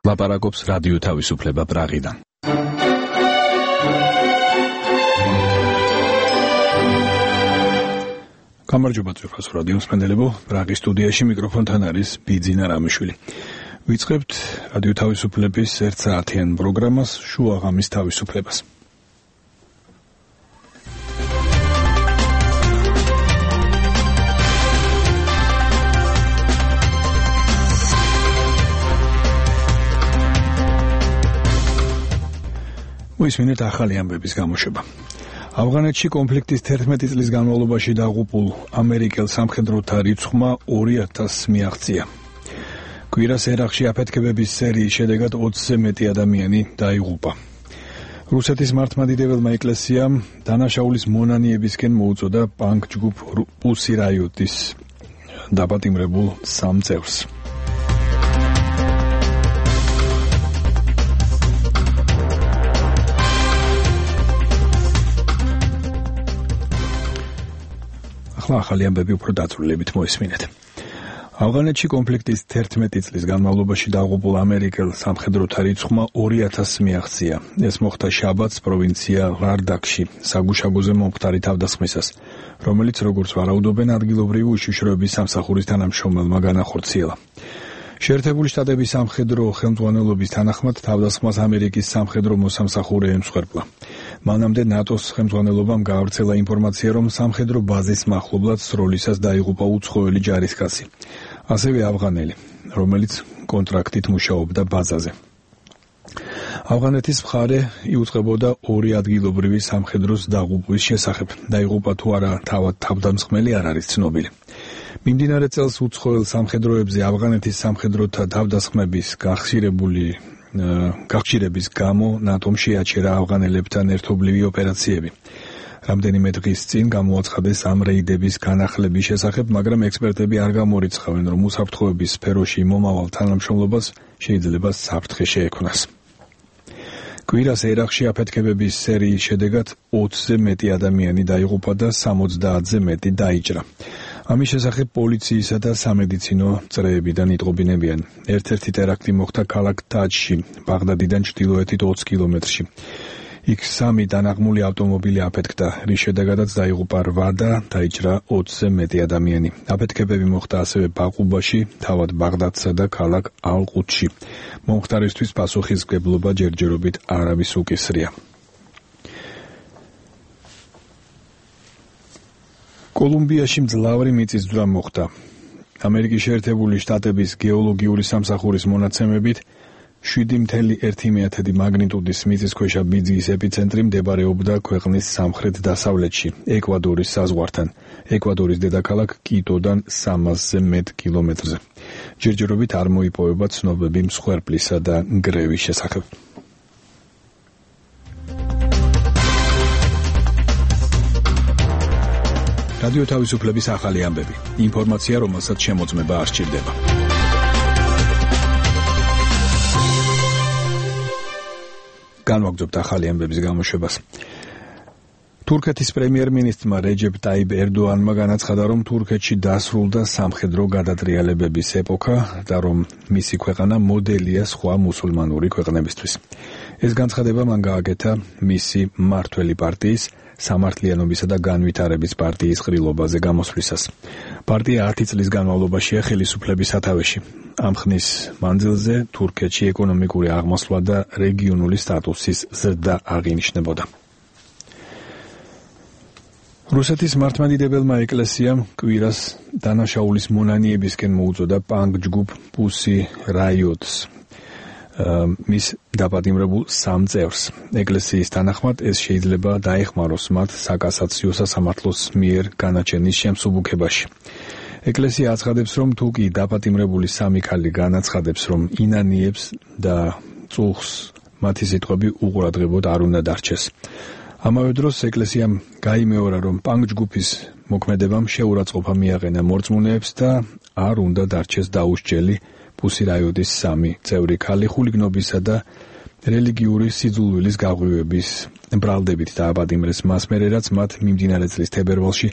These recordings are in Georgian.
ლაპარაკობს რადიო თავისუფლება პრაღიდან. გამარჯობა ძვირფას რადიოს მსმენელებო, პრაღის სტუდიაში მიკროფონთან არის ბიძინა რამიშვილი. ვიწყებთ რადიო თავისუფლების 1 საათიან პროგრამას შუა ღამის თავისუფლებას. მოისმინეთ ახალი ამბების გამოშვება. ავღანეთში კონფლიქტის 11 წლის განმავლობაში დაღუპულ ამერიკელ სამხედროთა რიცხვმა 2000 მიაღწია. კვირას ერაყში აფეთქებების სერიის შედეგად 20-ზე მეტი ადამიანი დაიღუპა. რუსეთის მართლმადიდებელმა ეკლესიამ დანაშაულის მონანიებისკენ მოუწოდა პანკ ჯგუფ პუსი რაიოტის დაპატიმრებულ 3 წევრს. ახალი ამბები უფრო დაწვრილებით მოისმინეთ. ავღანეთში კონფლიქტის 11 წლის განმავლობაში დაღუპულ ამერიკელ სამხედროთა რიცხვმა 2000 მიაღწია. ეს მოხდა შაბათს პროვინცია ლარდაკში, საგუშაგოზე მომხდარი თავდასხმისას, რომელიც როგორც ვარაუდობენ ადგილობრივი უშიშროების სამსახურის თანამშრომელმა განახორციელა. შეერთებული შტატების სამხედრო ხელმძღვანელობის თანახმად თავდასხმას ამერიკის სამხედრო მოსამსახურე ემსხვერპლა. მანამდე ნატოს ხელმძღვანელობამ გაავრცელა ინფორმაცია, რომ სამხედრო ბაზის მახლობლად სროლისას დაიღუპა უცხოელი ჯარისკაცი, ასევე ავღანელი, რომელიც კონტრაქტით მუშაობდა ბაზაზე. ავღანეთის მხარე იუწყებოდა 2 ადგილობრივი სამხედროს დაღუპვის შესახებ. დაიღუპა თუ არა თავდამსხმელი არ არის ცნობილი. მიმდინარე წელს უცხოელ სამხედროებზე ავღანეთის სამხედროთა თავდასხმების გახშირების გამო ნატომ შეაჩერა ავღანელებთან ერთობლივი ოპერაციები. რამდენიმე დღის წინ გამოაცხადეს ამ რეიდების განახლების შესახებ, მაგრამ ექსპერტები არ გამორიცხავენ, რომ უსაფრთხოების სფეროში მომავალ თანამშრომლობას შეიძლება საფრთხე შეექმნას. კვირას ერაყში აფეთქებების სერიის შედეგად 20-ზე მეტი ადამიანი დაიღუპა და 70-ზე მეტი დაიჭრა. ამის შესახებ პოლიციისა და სამედიცინო წრეებიდან იტყობინებიან. ერთ-ერთი ტერაქტი მოხდა ქალაქ თაჯში, ბაღდადიდან ჩრდილოეთით 20 კილომეტრში. იქ 3 დანაღმული ავტომობილი აფეთქდა, რის შედეგადაც დაიღუპა 8 და დაიჭრა 20-ზე მეტი ადამიანი. აფეთქებები მოხდა ასევე ბაყუბაში, თავად ბაღდადსა და ქალაქ ალ-ყუდსში. მომხდარისთვის პასუხისმგებლობა ჯერჯერობით არავის უკისრია. კოლუმბიაში მძლავრი მიწისძვრა მოხდა. ამერიკის შეერთებული შტატების გეოლოგიური სამსახურის მონაცემებით 7.1 მაგნიტუდის მიწისქვეშა ბიძგის ეპიცენტრი მდებარეობდა ქვეყნის სამხრეთ-დასავლეთში, ეკვადორის საზღვართან, ეკვადორის დედაქალაქ კიტოდან 300-ზე მეტ კილომეტრზე. ჯერჯერობით არ მოიპოვება ცნობები მსხვერპლისა და გრევის შესახებ. რადიო თავისუფლების ახალი ამბები. ინფორმაცია, რომელსაც შემოწმება არ სჭირდება. განვაგრძობთ ახალი ამბების გამოშვებას. თურქეთის პრემიერ-მინისტრმა რეჯეპ ტაიბ ერდოანმა განაცხადა, რომ თურქეთში დასრულდა სამხედრო გადატრიალებების ეპოქა და რომ მისი ქვეყანა მოდელია სხვა მუსულმანური ქვეყნებისთვის. ეს განცხადება მან გააკეთა მისი მმართველი პარტიის სამართლიანობისა და განვითარების პარტიის ყრილობაზე გამოსვლისას. პარტია 10 წლის განმავლობაშია ხელისუფლების სათავეში. ამ ხნის მანძილზე თურქეთში ეკონომიკური აღმასვლა და რეგიონული სტატუსის ზრდა აღინიშნებოდა. რუსეთის მართლმადიდებელმა ეკლესიამ კვირას დანაშაულის მონანიებისკენ მოუწოდა პანკ ჯგუფ პუსი რაიოტს მის დაპატიმრებულ 3 წევრს. ეკლესიის თანახმად ეს შეიძლება დაეხმაროს მათ საკასაციო სასამართლოს მიერ განაჩენის შემსუბუქებაში. ეკლესია აცხადებს, რომ თუ კი დაპატიმრებული 3 ქალი განაცხადებს, რომ ინანიებს და წუხს, მათი სიტყვები უყურადღებოდ არ უნდა დარჩეს. ამავე დროს ეკლესიამ გაიმეორა, რომ პანკ ჯგუფის მოქმედებამ შეურაცხყოფა მიაყენა მორწმუნეებს და არ უნდა დარჩეს დაუსჯელი პუსი რაიოტის 3 წევრი ქალი ხულიგნობისა და რელიგიური სიძულვილის გაღვივების ბრალდებით დააპატიმრეს მას მერე, რაც მათ მიმდინარე წლის თებერვალში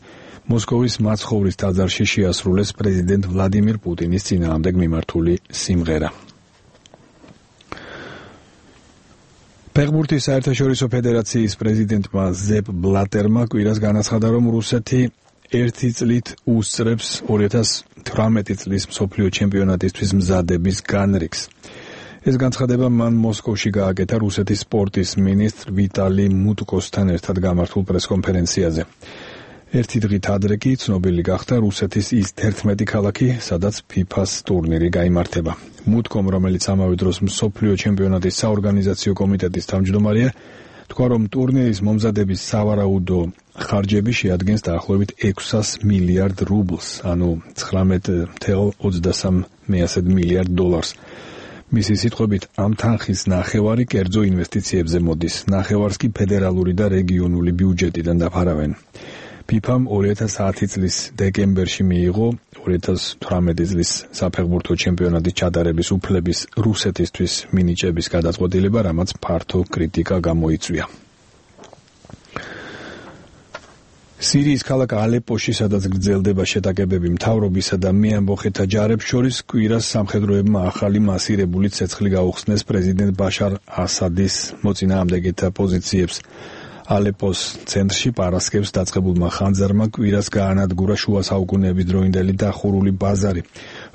მოსკოვის მაცხოვრის ტაძარში შეასრულეს პრეზიდენტ ვლადიმირ პუტინის წინააღმდეგ მიმართული სიმღერა. ფეხბურთის საერთაშორისო ფედერაციის პრეზიდენტმა ზეპ ბლატერმა კვირას განაცხადა, რომ რუსეთი 1 წლით უსწრებს 2018 წლის მსოფლიო ჩემპიონატისთვის მზადების განრიგს. ეს განცხადება მან მოსკოვში გააკეთა რუსეთის სპორტის მინისტრ ვიტალი მუტკოსთან ერთად გამართულ პრესკონფერენციაზე. ერთი დღით ადრე კი ცნობილი გახდა რუსეთის ის 11 ქალაქი, სადაც FIFA-ს ტურნირი გაიმართება. მუტკომ, რომელიც ამავე დროს მსოფლიო ჩემპიონატის საორგანიზაციო კომიტეტის თავმჯდომარეა, თქვა, რომ ტურნირის მომზადების სავარაუდო ხარჯები შეადგენს დაახლოებით 600 მილიარდ რუბლს, ანუ 19.23 მილიარდ დოლარს. მისი სიტყვებით, ამ თანხის ნახევარი კერძო ინვესტიციებზე მოდის, ნახევარს კი ფედერალური და რეგიონული ბიუჯეტიდან დაფარავენ. FIFA-მ 2010 წლის დეკემბერში მიიღო 2018 წლის საფეხბურთო ჩემპიონატის ჩატარების უფლების რუსეთისთვის მინიჭების გადაწყვეტილება, რამაც ფართო კრიტიკა გამოიწვია. სირიის ქალაქ ალეპოში, სადაც გრძელდება შეტაკებები მთავრობისა და მეამბოხეთა ჯარებს შორის, კვირას სამხედროებმა ახალი მასირებული ცეცხლი გაუხსნეს პრეზიდენტ ბაშარ ასადის მოწინააღმდეგეთა პოზიციებს. ალეპოს ცენტრში პარასკევს დაწყებულმა ხანძარმა კვირას გაანადგურა შუა საუკუნეების დროინდელი დახურული ბაზარი,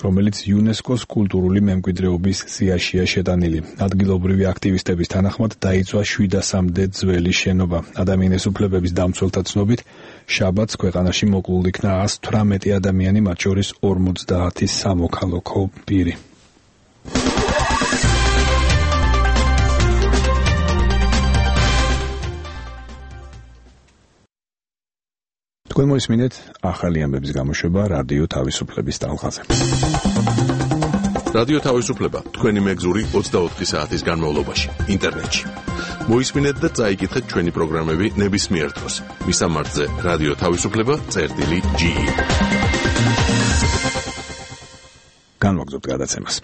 რომელიც იუნესკოს კულტურული მემკვიდრეობის სიაშია შეტანილი. ადგილობრივი აქტივისტების თანახმად დაიწვა 700-მდე ძველი შენობა. ადამიანის უფლებების დამცველთა ცნობით, შაბათს ქვეყანაში მოკლულ იქნა 118 ადამიანი, მათ შორის 50 სამოქალაქო პირი. თქვენ მოისმინეთ ახალი ამბების გამოშვება რადიო თავისუფლების ტალღაზე. რადიო თავისუფლება თქვენი მეგზური 24 საათის განმავლობაში ინტერნეტში. მოისმინეთ და წაიკითხეთ ჩვენი პროგრამები ნებისმიერ დროს. მისამართზე რადიო თავისუფლება.ge. განვაგრძობთ გადაცემას.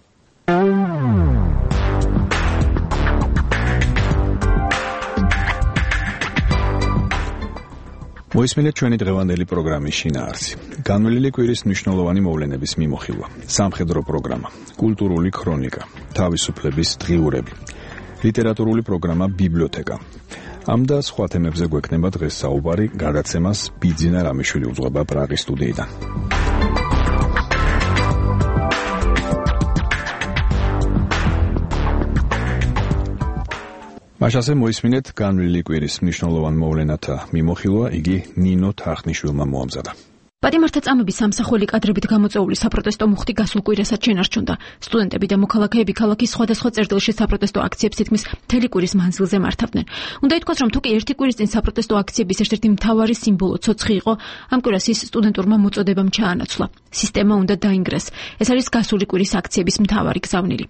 მოისმინეთ ჩვენი დღევანდელი პროგრამის შინაარსი. განვლილი კვირის მნიშვნელოვანი მოვლენების მიმოხილვა, სამხედრო პროგრამა, კულტურული ქრონიკა, თავისუფლების დღიურები, ლიტერატურული პროგრამა ბიბლიოთეკა. ამ და სხვა თემებზე გვექნება დღეს საუბარი, გადაცემას ბიძინა რამიშვილი უძღვება პრაღის სტუდიიდან. მაშასე მოისმინეთ განვლილი კვირის მნიშვნელოვან მოვლენათა მიმოხილვა, იგი ნინო თახნიშვილმა მოამზადა. პატიმართაწამების სამსახველი კადრებით გამოწვეული საპროტესტო მუხტი გასულ კვირასაც შენარჩუნდა. სტუდენტები და მოქალაქეები ქალაქის სხვადასხვა წერტილში საპროტესტო აქციებს თითქმის მთელი კვირის მანძილზე მართავდნენ. უნდა ითქვას, რომ თუკი ერთი კვირის წინ საპროტესტო აქციების ერთ-ერთი მთავარი სიმბოლო ცოცხი იყო, ამ კვირას ის სტუდენტურმა მოწოდებამ ჩაანაცვლა. სისტემა უნდა დაინგრეს. ეს არის გასული კვირის აქციების მთავარი გზავნილი.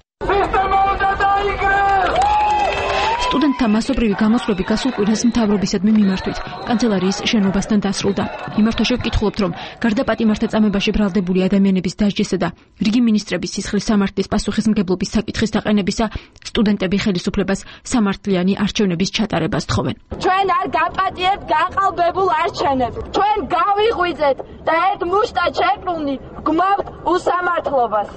სტუდენტთა მასობრივი გამოსვლები გასულ კვირას მთავრობისადმი მიმართვით კანცელარიის შენობასთან დასრულდა. იმართვაში ვკითხულობთ, რომ გარდა პატიმართაწამებაში ბრალდებული ადამიანების დასჯისა და რიგი მინისტრების სისხლის სამართლის პასუხისმგებლობის საკითხის დაყენებისა, სტუდენტები ხელისუფლებას სამართლიანი არჩევნების ჩატარებას თხოვენ. ჩვენ არ გაპატიებთ გაყალბებულ არჩევნებს. ჩვენ გავიღვიძეთ და ერთ მუშტად შეკრული გმავთ უსამართლობას.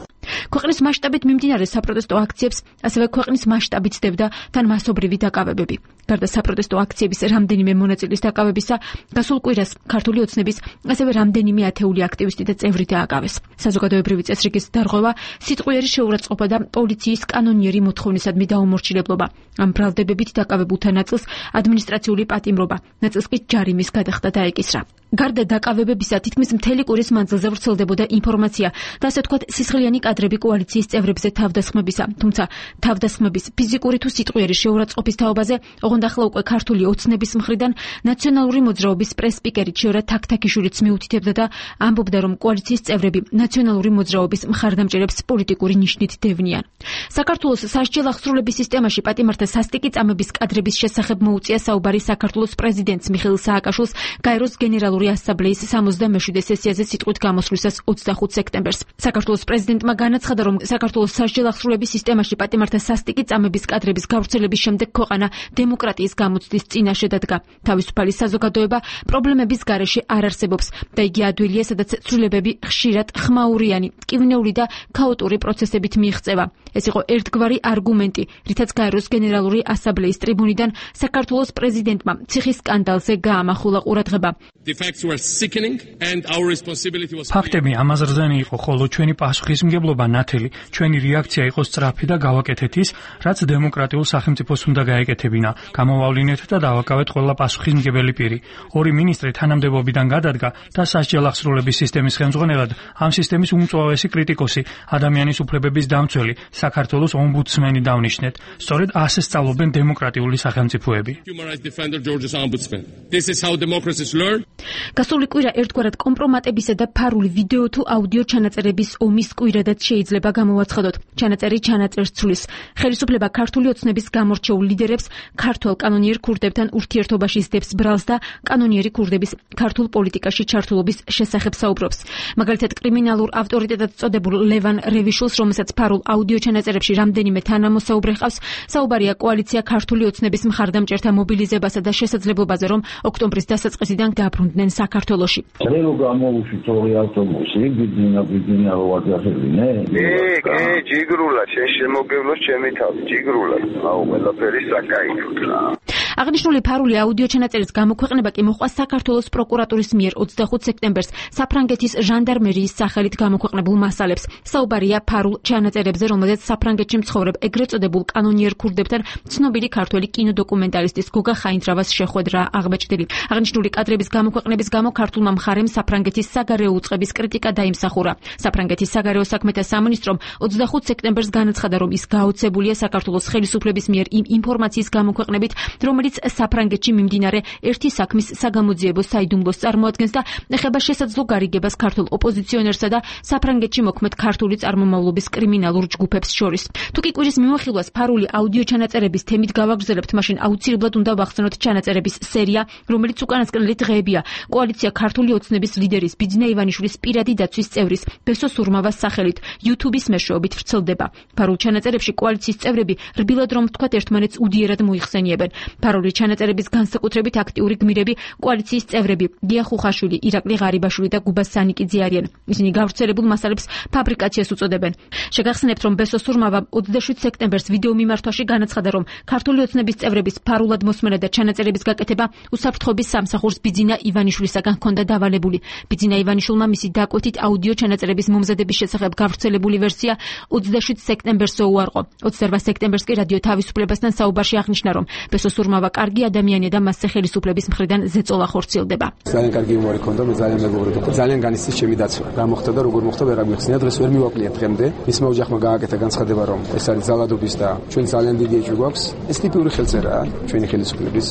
ქვეყნის მასშტაბით მიმდინარე საპროტესტო აქციებს, ასევე ქვეყნის მასშტაბით ცდებდა თან მასობრივი დაკავებები. გარდა საპროტესტო აქციების რამდენიმე მონაწილის დაკავებისა, გასულ კვირას ქართული ოცნების ასევე რამდენიმე ათეული აქტივისტი და წევრი დააკავეს. საზოგადოებრივი წესრიგის დარღვევა, სიტყვიერი შეურაცხყოფა და პოლიციის კანონიერი მოთხოვნისადმი დაუმორჩილებლობა. ამ ბრალდებებით დაკავებულთა ნაწილს ადმინისტრაციული პატიმრობა, ნაწილს კი ჯარიმის გადახდა დაეკისრა. გარდა დაკავებებისა, თითქმის მთელი კვირის მანძილზე ვრცელდებოდა ინფორმაცია და ასე ვთქვათ სისხლიანი კადრები კოალიციის წევრებზე თავდასხმებისა, თუმცა თავდასხმების ფიზიკური თუ სიტყვიერი შეურაცხყოფის თაობაზე, ოღონდ ახლა უკვე ქართული ოცნების მხრიდან ნაციონალური მოძრაობის პრეს-სპიკერი ჩიორა თაქთაქიშვილიც მიუთითებდა და ამბობდა, რომ კოალიციის წევრები ნაციონალური მოძრაობის მხარდამჭერებს პოლიტიკური ნიშნით დევნიან. საქართველოს სასჯელ აღსრულების სისტემაში პატიმართა სასტიკი წამების კადრების შესახებ მოუწია საუბარი საქართველოს პრეზიდენტს მიხეილ სააკაშვილს გაეროს გენერალურ გენერალური ასამბლეის 67 სესიაზე სიტყვით გამოსვლისას 25 სექტემბერს. საქართველოს პრეზიდენტმა განაცხადა, რომ საქართველოს სასჯელ აღსრულების სისტემაში პატიმართა სასტიკი წამების კადრების გავრცელების შემდეგ ქვეყანა დემოკრატიის გამოცდის წინაშე დადგა. თავისუფალი საზოგადოება პრობლემების გარეშე არ არსებობს და იგი ადვილია, სადაც ცვლილებები ხშირად ხმაურიანი, ტკივნეული და ქაოტური პროცესებით მიიღწევა. ეს იყო ერთგვარი არგუმენტი, რითაც გაეროს გენერალური ასამბლეის ტრიბუნიდან საქართველოს პრეზიდენტმა ციხის სკანდალზე გაამახვილა ყურადღება. ფაქტები ამაზრზენი იყო, ხოლო ჩვენი პასუხისმგებლობა ნათელი, ჩვენი რეაქცია იყო სწრაფი და გავაკეთეთ ის, რაც დემოკრატიულ სახელმწიფოს უნდა გაეკეთებინა. გამოვავლინეთ და დავაკავეთ ყველა პასუხისმგებელი პირი. ორი მინისტრი თანამდებობიდან გადადგა და სასჯელ აღსრულების სისტემის ხელმძღვანელად ამ სისტემის უმწვავესი კრიტიკოსი, ადამიანის უფლებების დამცველი, საქართველოს ომბუდსმენი დავნიშნეთ. სწორედ ასე სწავლობენ დემოკრატიული სახელმწიფოები. გასული კვირა ერთგვარად კომპრომატებისა და ფარული ვიდეო თუ აუდიო ჩანაწერების ომის კვირადაც შეიძლება გამოვაცხადოთ. ჩანაწერი ჩანაწერს ცვლის. ხელისუფლება ქართული ოცნების გამორჩეულ ლიდერებს ქართველ კანონიერ ქურდებთან ურთიერთობაში სდებს ბრალს და კანონიერი ქურდების ქართულ პოლიტიკაში ჩართულობის შესახებ საუბრობს. მაგალითად, კრიმინალურ ავტორიტეტად წოდებულ ლევან რევიშულს, რომელსაც ფარულ აუდიო ჩანაწერებში რამდენიმე თანამოსაუბრე ჰყავს, საუბარია კოალიცია ქართული ოცნების მხარდამჭერთა მობილიზებასა და შესაძლებლობაზე, რომ ოქტომბრის დასაწყისიდან დაბრუნდნენ საქართველოში. რელო გამოუშვით ორი ავტობუსი, ბიძინა ვაგახებინე? ჯიგრულა, შენ შემოგევლოს ჩემი თავი, ჯიგრულა. აუ, ყველაფერი საკაითოა. აღნიშნული ფარული აუდიო ჩანაწერის გამოქვეყნება კი მოხდა საქართველოს პროკურატურის მიერ 25 სექტემბერს საფრანგეთის ჟანდარმერიის სახელით გამოქვეყნებულ მასალებს. საუბარია ფარულ ჩანაწერებზე, რომელზეც საფრანგეთში მცხოვრებ ეგრეთ წოდებულ კანონიერ ქურდებთან ცნობილი ქართველი კინოდოკუმენტარისტის გოგა ხაინძრავას შეხვედრა აღბეჭდილი. აღნიშნული კადრების გამოქვეყნების გამო ქართულმა მხარემ საფრანგეთის საგარეო უწყების კრიტიკა დაიმსახურა. საფრანგეთის საგარეო საქმეთა სამინისტრომ 25 სექტემბერს განაცხადა, რომ ის გაოცებულია საქართველოს ხელისუფლების მიერ იმ ინფორმაციის გამოქვეყნებით, რომელიც საფრანგეთში მიმდინარე ერთი საქმის საგამოძიებო საიდუმლოს წარმოადგენს და ეხება შესაძლო გარიგებას ქართულ ოპოზიციონერსა და საფრანგეთში მოქმედ ქართული წარმომავლობის კრიმინალურ ჯგუფებს შორის. თუ კი კვირის მიმოხილვას ფარული აუდიო ჩანაწერების თემით გავაგრძელებთ, მაშინ აუცილებლად უნდა ვახსენოთ ჩანაწერების სერია, რომელიც უკანასკნელი დღეებია კოალიცია ქართული ოცნების ლიდერის ბიძინა ივანიშვილის პირადი დაცვის წევრის ბესო სურმავას სახელით YouTube-ის მეშვეობით ვრცელდება. ფარულ ჩანაწერებში კოალიციის წევრები რბილად რომ ვთქვათ ერთმანეთს უდიერად მოიხსენიებენ. ფარული ჩანაწერების განსაკუთრებით აქტიური გმირები კოალიციის წევრები დია ხუხაშვილი, ირაკლი ღარიბაშვილი და გუბა სანიკიძე არიან. ისინი გავრცელებულ მასალებს ფაბრიკაციას უწოდებენ. შეგახსენებთ, რომ ბესო სურმავა 27 სექტემბერს ვიდეო მიმართვაში განაცხადა, რომ ქართული ოცნების წევრების ფარულად მოსმენა და ჩანაწერების გაკეთება უსაფრთხოების სამსახურს ბიძინა ივანიშვილისაგან ჰქონდა დავალებული. ბიძინა ივანიშვილმა მისი დაკვეთით აუდიო ჩანაწერების მომზადების შესახებ გავრცელებული ვერსია 27 სექტემბერსზე უარყო. 28 სექტემბერს კი რადიო თავისუფლებასთან საუბარში აღნიშნა, რომ ბესო სურმავა კარგი ადამიანია და მასზე ხელისუფლების მხრიდან ზეწოლა ხორციელდება. ძალიან კარგი იუმორი ქონდა, მე ძალიან მეგობრებოდა. ძალიან განიცდის ჩემი დაცვა. რა მოხდა და როგორ მოხდა, ვერ აღმიხსნია. დღეს ვერ მივაკლია დღემდე. მისმა ოჯახმა გააკეთა განცხადება, რომ ეს არის ძალადობის და ჩვენ ძალიან დიდი ეჭვი გვაქვს. ეს ტიპური ხელწერაა ჩვენი ხელისუფლების.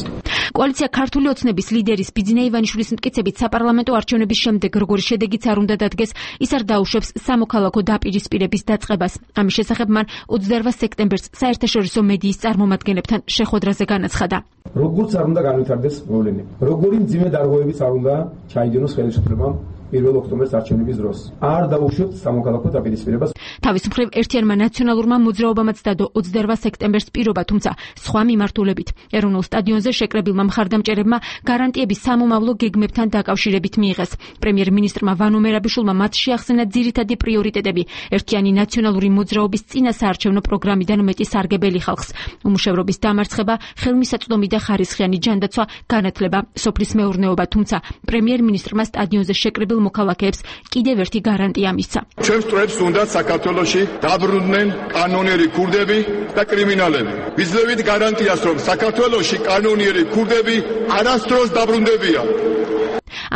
კოალიცია ქართული ოცნების ლიდერის ბიძინა ივანიშვილის მტკიცებით საპარლამენტო არჩევნების შემდეგ როგორი შედეგიც არ უნდა დადგეს, ის არ დაუშვებს სამოქალაქო დაპირისპირების დაწყებას. ამის შესახებ მან 28 სექტემბერს საერთაშორისო მედიის წარმომადგენლებთან შეხვედრაზე განაცხადა. როგორც არ უნდა განვითარდეს პრობლემები. როგორი მძიმე დარღვევებიც არ უნდა ჩაიდენოს ხელისუფლებამ 1 ოქტომბრის არჩევნების დროს. არ დაუშვებთ სამოქალაქო დაპირისპირებას. თავის მხრივ ერთიანმა ნაციონალურმა მოძრაობამაც დადო 28 სექტემბერს პირობა, თუმცა სხვა მიმართულებით. ეროვნულ სტადიონზე შეკრებილმა მხარდამჭერებმა გარანტიები სამომავლო გეგმებთან დაკავშირებით მიიღეს. პრემიერ-მინისტრმა ვანო მერაბიშვილმა მათ შეახსენა ძირითადი პრიორიტეტები, ერთიანი ნაციონალური მოძრაობის წინა საარჩევნო პროგრამიდან მეტი სარგებელი ხალხს, უმუშევრობის დამარცხება, ხელმისაწვდომი და ხარისხიანი ჯანდაცვა, განათლება, სოფლის მეურნეობა, თუმცა პრემიერ-მინისტრმა სტადიონზე შეკრებილ მოქალაქეებს კიდევ ერთი გარანტია მისცა. ჩვენს წრეებს უნდა საქართველოში დაბრუნდნენ კანონიერი ქურდები და კრიმინალები. ვიძლევით გარანტიას, რომ საქართველოში კანონიერი ქურდები არასდროს დაბრუნდებიან.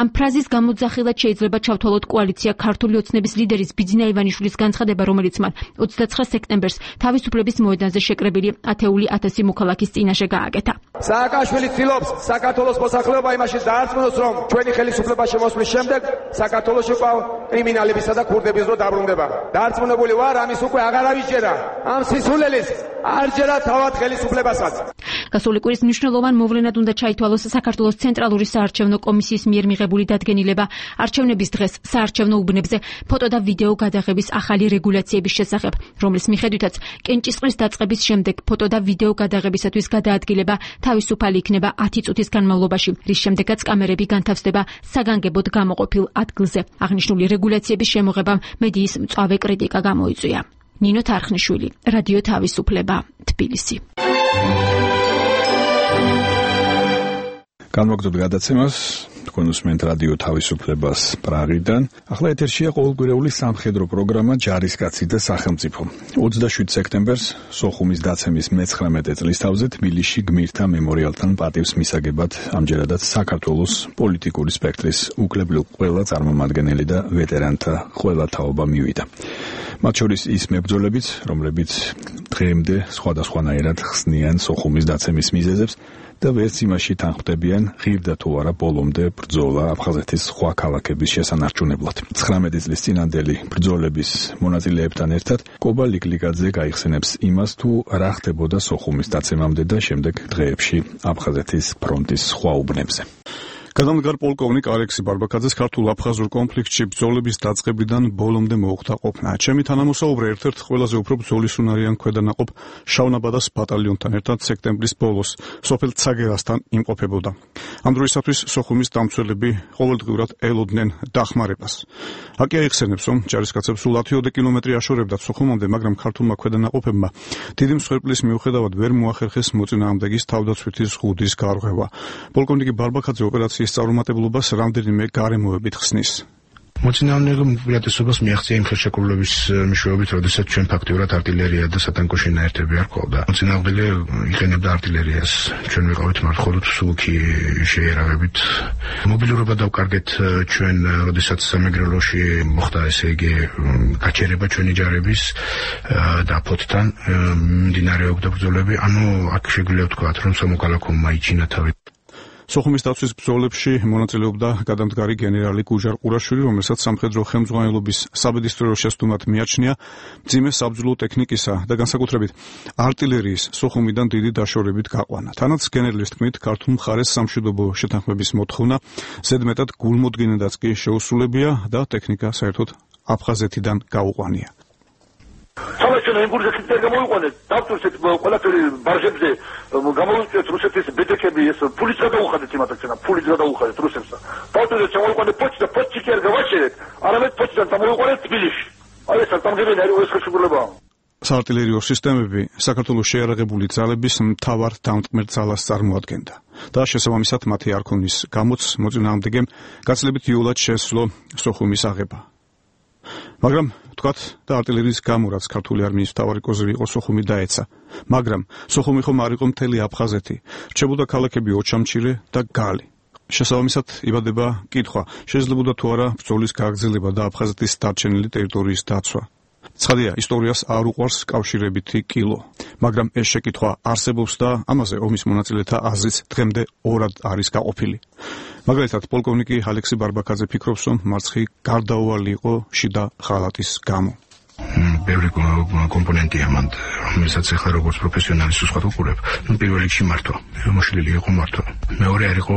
ამ ფრაზის გამოძახილად შეიძლება ჩავთვალოთ კოალიცია ქართული ოცნების ლიდერის ბიძინა ივანიშვილის განცხადება, რომელიც მან 29 სექტემბერს თავისუფლების მოედანზე შეკრებილი ათეული 1000 მოქალაქის წინაშე გააკეთა. სააკაშვილი ცდილობს საქართველოს მოსახლეობა იმაში დაარწმუნოს, რომ ჩვენი ხელისუფლება შემოსვლის შემდეგ საქართველოში ყავ კრიმინალებისა და ქურდების დრო დაბრუნდება. დაარწმუნებული ვარ, ამის უკვე აღარ ავიჯერა. ამ სისულელეს არ ჯერა თავად ხელისუფლებასაც. გასული კვირის მნიშვნელოვან მოვლენად უნდა ჩაითვალოს საქართველოს ცენტრალური საარჩევნო კომისიის მიერ მიღებული დადგენილება, არჩევნების დღეს საარჩევნო უბნებზე ფოტო და ვიდეო გადაღების ახალი რეგულაციების შესახებ, რომლის მიხედვითაც კენჭისყრის დაწყების შემდეგ ფოტო და ვიდეო გადაღებისათვის გადაადგილება თავისუფალი იქნება 10 წუთის განმავლობაში, რის შემდეგაც კამერები განთავსდება საგანგებოდ გამოყოფილ ადგილზე. აღნიშნული რეგულაციების შემოღებამ მედიის მწვავე კრიტიკა გამოიწვია. ნინო თარხნიშვილი, რადიო თავისუფლება, თბილისი. განვაგრძობთ გადაცემას, თქვენ უსმენთ რადიო თავისუფლებას პრაღიდან. ახლა ეთერშია ყოველკვირეული სამხედრო პროგრამა ჯარისკაცი და სახელმწიფო. 27 სექტემბერს სოხუმის დაცემის მე-19 წლისთავზე თბილისში გმირთა მემორიალთან პატივს მისაგებად ამჯერადაც საქართველოს პოლიტიკური სპექტრის უკლებლივ ყველა წარმომადგენელი და ვეტერანთა ყველა თაობა მივიდა. მათ შორის ის მებრძოლებიც, რომლებიც დღემდე სხვადასხვანაირად ხსნიან სოხუმის დაცემის მიზეზებს და ვერც იმაში თანხმდებიან, ღირდა თუ არა ბოლომდე ბრძოლა აფხაზეთის სხვა ქალაქების შესანარჩუნებლად. 19 წლის წინანდელი ბრძოლების მონაწილეებთან ერთად კობა ლიკლიკაძე გაიხსენებს იმას, თუ რა ხდებოდა სოხუმის დაცემამდე და შემდეგ დღეებში აფხაზეთის ფრონტის სხვა უბნებზე. გადამდგარ პოლკოვნიკ ალექსი ბარბაკაძეს ქართულ-აფხაზურ კონფლიქტში ბრძოლების დაწყებიდან ბოლომდე მოუხდა ყოფნა. ჩემი თანამოსაუბრე ერთ-ერთ ყველაზე უფრო ბრძოლისუნარიან ქვედანაყოფ შავნაბადას ბატალიონთან ერთად სექტემბრის ბოლოს სოფელ ცაგერასთან იმყოფებოდა. ამ დროისათვის სოხუმის დამცველები ყოველდღიურად ელოდნენ დახმარებას. აკი აიხსენებს, რომ ჯარისკაცებს სულ 10 კილომეტრი აშორებდათ სოხუმამდე, მაგრამ ქართულმა ქვედანაყოფებმა დიდი მსხვერპლის მიუხედავად ვერ მოახერხეს მოწინააღმდეგის თავდაცვითი ზღუდის გარღვევა. პოლკოვნიკი ბარბაკაძე ოპერაციის წარუმატებლობას რამდენიმე გარემოებით ხსნის. მოწინააღმდეგე უპირატესობას მიაღწია იმ ხელშეკრულების მეშვეობით, როდესაც ჩვენ ფაქტიურად артиლერია და სატანკო შენაერთები არ ყავდა. მოწინააღმდეგე იყენებდა артиლერიას. ჩვენ ვიყავით მართლაც სულკი შეერავებით. მობილურობა დავკარგეთ ჩვენ, როდესაც სამეგრელოში მოხდა ესე იგი გაჩერება ჩვენი ჯარების და ფოთთან მიმდინარეობდა ბრძოლები. ანუ აქ შეგვიძლია ვთქვათ, რომ სამოქალაქო მაიჩინა თავი. სოხუმის დაცვის ბრძოლებში მონაწილეობდა გადამდგარი გენერალი გუჟარ ყურაშვილი, რომელსაც სამხედრო ხელმძღვანელობის საბედისწერო შესტუმრად მიაჩნია მძიმე საბრძოლო ტექნიკისა და განსაკუთრებით артиლერიის სოხუმიდან დიდი დაშორებით გაყვანა. თანაც გენერლის თქმით, ქართულ მხარეს სამშვიდობო შეთანხმების მოთხოვნა ზედმეტად გულმოდგინედაც კი შეუსრულებია და ტექნიკა საერთოდ აფხაზეთიდან გაუყვანია. სამაშენო იმპულსით გამოიყვანეთ, დავწურეთ ყველაფერი ბარჟებზე, გამოვიწვიეთ რუსეთის ბედექები, ეს ფულიც გადაუხადეთ იმათაცენა, ფულიც გადაუხადეთ რუსებსა. დავწურეთ შემოიყვანეთ პოჩტა, პოჩტი კი არ გავაჩერეთ, არამედ პოჩტიდან დამოიყვანეთ თბილისში. აი ეს სამგებელი არის ეს ხელშეკრულება. საარტილერიო სისტემები საქართველოს შეიარაღებული ძალების მთავარ დამტკმელ ძალას წარმოადგენდა და შესაბამისად მათი არქონის გამოც მოწინააღმდეგემ გაცილებით იოლად შესძლო სოხუმის აღება. მაგრამ თქვათ და артиლერიის გამო რაც ქართული არმიის მთავარი კოზირი იყო სოხუმი დაეცა. მაგრამ სოხუმი ხომ არ იყო მთელი აფხაზეთი. რჩებოდა ქალაქები ოჩამჩირე და გალი. შესაბამისად იბადება კითხვა, შეიძლებოდა თუ არა ბრძოლის გაგრძელება და აფხაზეთის დარჩენილი ტერიტორიის დაცვა. ცხადია, ისტორიას არ უყვარს კავშირებითი კილო, მაგრამ ეს შეკითხვა არსებობს და ამაზე ომის მონაწილეთა აზრიც დღემდე ორად არის გაყოფილი. მაგალითად, პოლკოვნიკი ალექსი ბარბაკაძე ფიქრობს, რომ მარცხი გარდაუვალი იყო შიდა ხალატის გამო. ბევრი კომპონენტია მანდ, რომელსაც ახლა როგორც პროფესიონალის უცხოთ უყურებ, პირველ რიგში მართვა, მოშლილი იყო მართვა. მეორე არ იყო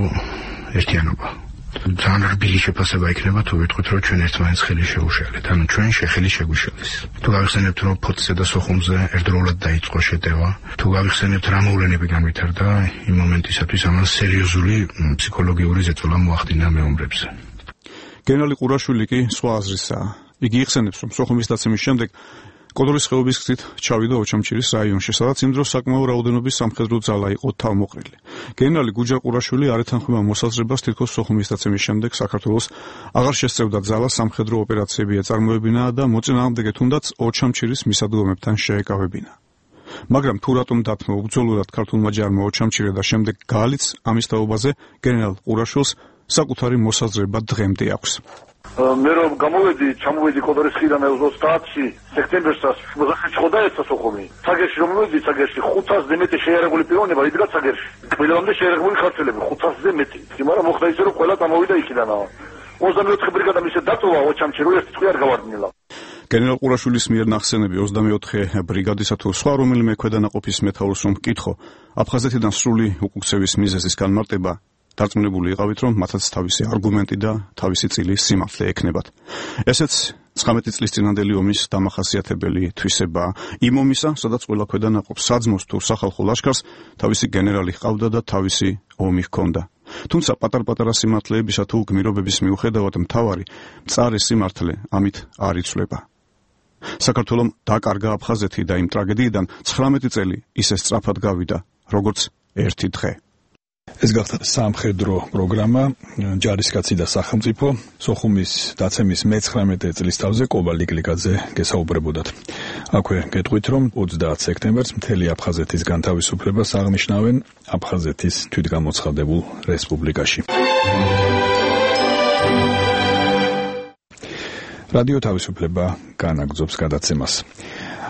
ერთიანობა. ძალიან რბილი შეფასება იქნება თუ ვიტყვით, რომ ჩვენ ერთმანეთს ხელი შევუშალეთ. ანუ ჩვენ შეხელი შეგვიშალეს. თუ გავიხსენებთ, რომ ფოთზე და სოხუმზე ერთდროულად დაიწყო შეტევა, თუ გავიხსენებთ, რა მოვლენები განვითარდა, იმ მომენტისათვის ამას სერიოზული ფსიქოლოგიური ზეწოლა მოახდინა მეომრებზე. გენერალი ყურაშვილი კი სხვა აზრისაა. იგი იხსენებს, რომ სოხუმის დაცემის შემდეგ კოდორის ხეობის გზით ჩავიდა ოჩამჩირის რაიონში, სადაც იმ დროს საკმაო რაოდენობის სამხედრო ძალა იყო თავმოყრილი. გენერალი გუჯარ ყურაშვილი არ ეთანხმება მოსაზრებას, თითქოს სოხუმის დაცემის შემდეგ საქართველოს აღარ შესწევდა ძალა სამხედრო ოპერაციები ეწარმოებინა და მოწინააღმდეგე თუნდაც ოჩამჩირის მისადგომებთან შეეკავებინა. მაგრამ თუ რატომ დათმო უბრძოლურად ქართულმა ჯარმა ოჩამჩირე და შემდეგ გალიც ამის თაობაზე გენერალ ყურაშვილს საკუთარი მოსაზრება დღემდე აქვს. მე რომ ჩამოვედი კოდორის ხიდან 30-ში სექტემბერსაც მოხდა ჩხოდაეცა სოხუმი. ცაგერში რომ მოვედი, ცაგერში 500-ზე მეტი შეიარაღული პიროვნება იდგა ცაგერში. ყველამდე შეიარაღებული ქართველები 500-ზე მეტი. მაგრამ მოხდა ისე რომ ყველა წამოვიდა იქიდანაა. 24 ბრიგადა მისე დატოვა ოჩამჩირო ერთი წვი არ გავარდნილა. გენერალ ყურაშვილის მიერ ნახსენები 24 ბრიგადისა თუ სხვა რომელიმე ქვედანაყოფის მეთაურს რომ მკითხო, აფხაზეთიდან სრული უკუქცევის მიზეზის განმარტება დარწმუნებული იყავით, რომ მათაც თავისი არგუმენტი და თავისი წილი სიმართლე ექნებათ. ესეც 19 წლის წინანდელი ომის დამახასიათებელი თვისებაა. იმ ომისა, სადაც ყველა ქვედანაყოფ საძმოს თუ სახალხო ლაშქარს თავისი გენერალი ჰყავდა და თავისი ომი ჰქონდა. თუმცა პატარ-პატარა სიმართლეებისა თუ გმირობების მიუხედავად მთავარი მწარე სიმართლე ამით არ იცვლება. საქართველომ დაკარგა აფხაზეთი და იმ ტრაგედიიდან 19 წელი ისე სწრაფად გავიდა, როგორც ერთი დღე. ეს გახდა სამხედრო პროგრამა ჯარისკაცი და სახელმწიფო სოხუმის დაცემის მე-19 წლის თავზე კობა ლიკლიკაძე გესაუბრებოდათ. აქვე გეტყვით, რომ 30 სექტემბერს მთელი აფხაზეთის განთავისუფლებას აღნიშნავენ აფხაზეთის თვითგამოცხადებულ რესპუბლიკაში. რადიო თავისუფლება განაგრძობს გადაცემას.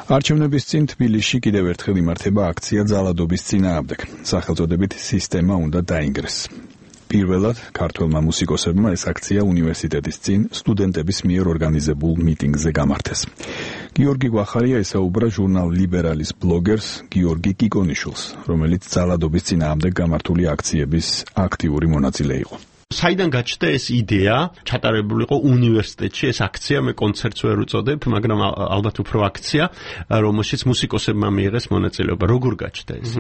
არჩევნების წინ თბილისში კიდევ ერთხელ იმართება აქცია ძალადობის წინააღმდეგ. სახელწოდებით სისტემა უნდა დაინგრეს. პირველად ქართველმა მუსიკოსებმა ეს აქცია უნივერსიტეტის წინ სტუდენტების მიერ ორგანიზებულ მიტინგზე გამართეს. გიორგი გვახარია ესაუბრა ჟურნალ ლიბერალის ბლოგერს გიორგი კიკონიშვილს, რომელიც ძალადობის წინააღმდეგ გამართული აქციების აქტიური მონაწილე იყო. საიდან გაჩნდა ეს იდეა ჩატარებული იყო უნივერსიტეტში ეს აქცია მე კონცერტს ვერ უწოდებ მაგრამ ალბათ უფრო აქცია რომელშიც მუსიკოსებმა მიიღეს მონაწილეობა როგორ გაჩნდა ეს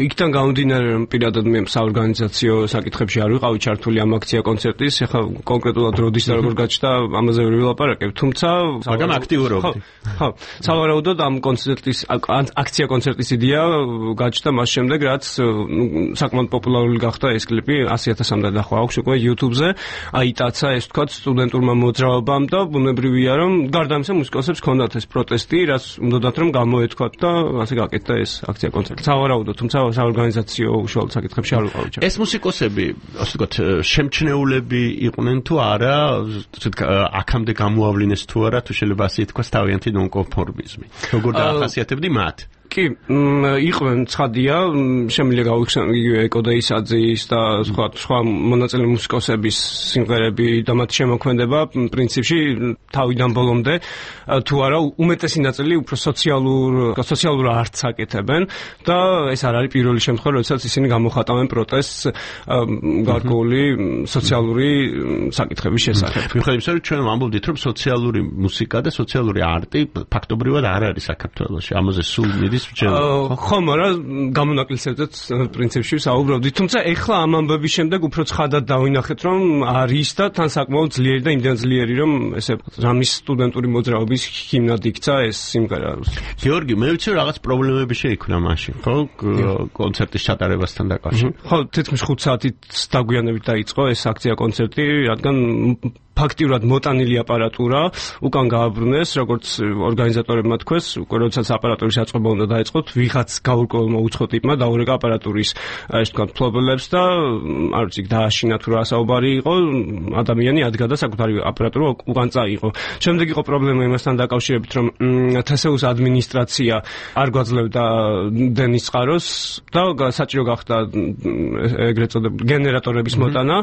იქიდან გამომდინარე რომ პირადად მე საორგანიზაციო საკითხებში არ ვიყავი ჩართული ამ აქცია კონცერტის ეხლა კონკრეტულად როდის და როგორ გაჩნდა ამაზე ვერ ვილაპარაკებ თუმცა მაგრამ აქტიურობდი ხო სავარაუდოდ ამ კონცერტის აქცია კონცერტის იდეა გაჩნდა მას შემდეგ რაც საკმაოდ პოპულარული გახდა ეს კლიპი 100,000-მდე და აქვს უკვე YouTube-ზე, აიტაცა ეს თქვათ სტუდენტურმა მოძრაობამ და ბუნებრივია რომ გარდა ამისა მუსიკოსებს ჰქონდათ ეს პროტესტი, რაც უნდათ რომ გამოეთქვათ და ასე გაკეთდა ეს აქცია კონცერტი. სავარაუდოდ, თუმცა საორგანიზაციო უშუალოდ საკითხებში არ ვიყავი. ეს მუსიკოსები, ასე ვთქვათ, შემჩნეულები იყვნენ თუ არა, აქამდე გამოავლინეს თუ არა, თუ შეიძლება ასე ითქვას თავიანთი ნონკონფორმიზმი. როგორ დაახასიათებდი მათ? კი, იყვნენ ცხადია, შემიძლია გავიხსენო იგივე ეკოდეისაძის და სხვა მონაწილე მუსიკოსების სიმღერები და მათ შემოქმედება პრინციპში თავიდან ბოლომდე თუ არა უმეტესი ნაწილი უფრო სოციალურ არტს აკეთებენ და ეს არ არის პირველი შემთხვევა, როდესაც ისინი გამოხატავენ პროტესტს გარკვეული სოციალური საკითხების შესახებ. მიუხედავად იმისა, რომ ჩვენ ვამბობდით, რომ სოციალური მუსიკა და სოციალური არტი ფაქტობრივად არ არის საქართველოში. ამაზე სულ მიდის ხო, მაგრამ გამონაკლისებზეც პრინციპში საუბრობდით. თუმცა ეხლა ამ ამბების შემდეგ უფრო ცხადად დავინახეთ, რომ არის და თან საკმაოდ ძლიერი და იმდენ ძლიერი, რომ ესე რამის სტუდენტური მოძრაობის ჰიმნად იქცა ეს სიმღერა. გიორგი, მე ვიცი რაღაც პრობლემები შეიქმნა მაშინ, ხო? კონცერტის ჩატარებასთან დაკავშირებით. ხო, თითქმის 5 საათით დაგვიანებით დაიწყო ეს აქცია კონცერტი, რადგან ფაქტიურად მოტანილი აპარატურა უკან გააბრუნეს, როგორც ორგანიზატორებმა თქვეს, უკვე როდესაც აპარატურის აწყობა უნდა დაიწყოთ, ვიღაც გაურკვევლმა უცხო ტიპმა დაურეკა აპარატურის ეს თქვა ფლობელებს და არ ვიცი, დააშინა თუ რა საუბარი იყო, ადამიანი ადგა და საკუთარი აპარატურა უკან წაიღო. შემდეგ იყო პრობლემა იმასთან დაკავშირებით, რომ თსეუს ადმინისტრაცია არ გვაძლევდა დენის წყაროს და საჭირო გახდა ეგრეთ წოდებული გენერატორების მოტანა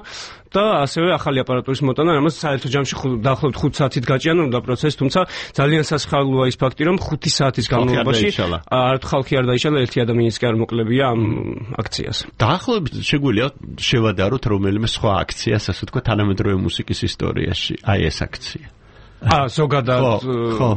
და ასევე ახალი აპარატურის მოტანა, რამაც საერთო ჯამში დაახლოებით 5 საათით გაჭიანურდა პროცესი, თუმცა ძალიან სასიხარულოა ის ფაქტი, რომ 5 საათის განმავლობაში არც ხალხი არ დაიშალა, ერთი ადამიანიც კი არ მოკლებია ამ აქციას. დაახლოებით შეგვიძლია შევადაროთ რომელიმე სხვა აქციას, ასე ვთქვათ, თანამედროვე მუსიკის ისტორიაში, აი ეს აქცია. ზოგადად ხო.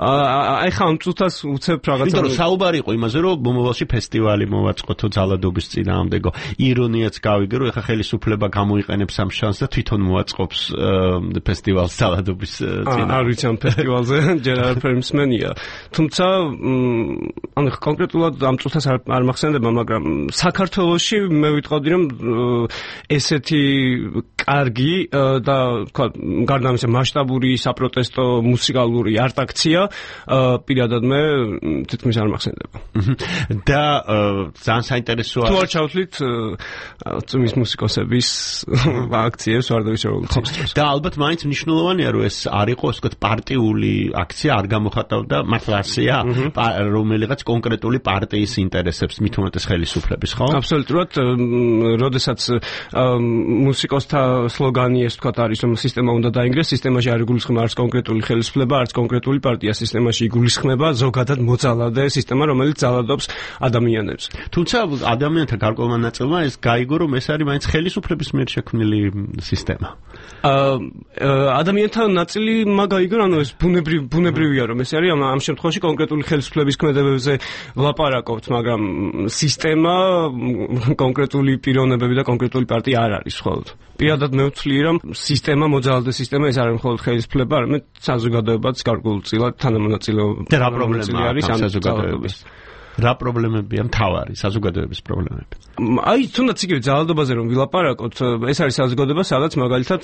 ახლა ამ წუთას უცებ რაღაცა. იმიტომ რომ საუბარი იყო იმაზე, რომ მომავალში ფესტივალი მოვაწყოთო ძალადობის წინააღმდეგო. ირონიაც გავიგე, რომ ახლა ხელისუფლება გამოიყენებს ამ შანსს და თვითონ მოაწყობს ფესტივალს ძალადობის წინააღმდეგ. არ ვიცი ამ ფესტივალზე ჯერ არაფერი მსმენია. თუმცა ანუ კონკრეტულად ამ წუთას არ მახსენდება, მაგრამ საქართველოში მე ვიტყოდი, რომ ესეთი კარგი და თქვა გარდა ამისა მასშტაბური საპროტესტო მუსიკალური არტაქცია პირადად მე თითქმის არ მახსენდება. და ძალიან საინტერესოა. თუ არ ჩავთვლით წმის მუსიკოსების აქციებს ვარდავის რევოლუციის. და ალბათ მაინც მნიშვნელოვანია რომ ეს არ იყოს ვთქვათ პარტიული აქცია, არ გამოხატავდა მართლა ასეა, რომელიღაც კონკრეტული პარტიის ინტერესებს, მით უმეტეს ხელისუფლების, ხო? აბსოლუტურად, როდესაც მუსიკოსთა სლოგანი ეს თქვა არის რომ სისტემა უნდა დაინგრეს, სისტემაში არ იგულისხმება არც კონკრეტული ხელისუფლება, არც კონკრეტული პარტია, სისტემაში იგულისხმება ზოგადად მოძალადე სისტემა, რომელიც ძალადობს ადამიანებს. თუმცა ადამიანთა გარკვეულმა ნაწილმა ეს გაიგო, რომ ეს არის მაინც ხელისუფლების მიერ შექმნილი სისტემა. ადამიანთა ნაწილი მაგაიგო, ანუ ეს ბუნებრივია რომ ეს არის ამ შემთხვევაში კონკრეტული ხელისუფლების ქმედებებზე ვლაპარაკობთ, მაგრამ სისტემა კონკრეტული პიროვნებები და კონკრეტული პარტია არ არის მხოლოდ. პირადად მე ვთვლი რომ სისტემა მოძალადე სისტემა ეს არის მხოლოდ ხელისუფლება, არამედ საზოგადოებაც გარკვეულწილად თანამონაწილეობა. რა პრობლემა არის ამ საზოგადოების? რა პრობლემებია მთავარი საზოგადოების პრობლემები? აი, თუნდაც იგივე ძალადობაზე რომ ვილაპარაკოთ, ეს არის საზოგადოება, სადაც მაგალითად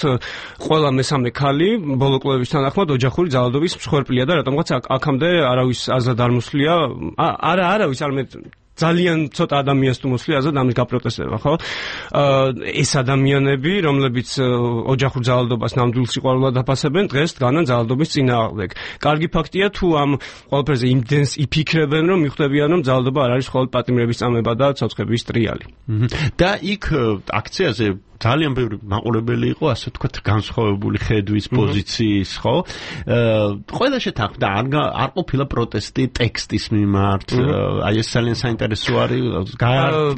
ყველა მესამე ქალი ბოლო კვლევების თანახმად ოჯახური ძალადობის მსხვერპლია და რატომღაც აქამდე არავის აზრად არ მოსვლია, არავის არამედ ძალიან ცოტა ადამიანს თუ მოსვლია აზრად ამის გაპროტესტება, ხო? ეს ადამიანები, რომლებიც ოჯახურ ძალადობას ნამდვილ სიყვარულად აფასებენ, დღეს დგანან ძალადობის წინააღმდეგ. კარგი ფაქტია თუ ამ ყველაფერზე იმდენს იფიქრებენ, რომ მიხვდებიან, რომ ძალადობა არ არის მხოლოდ პატიმრების წამება და ცოცხების ტრიალი. და იქ აქციაზე ძალიან ბევრი მაყურებელი იყო, ასე ვთქვათ, განსხვავებული ხედვის პოზიციის, ხო? ყველა შეთანხმდა, არ ყოფილა პროტესტი ტექსტის მიმართ, აი ეს ძალიან საინტერესო არის,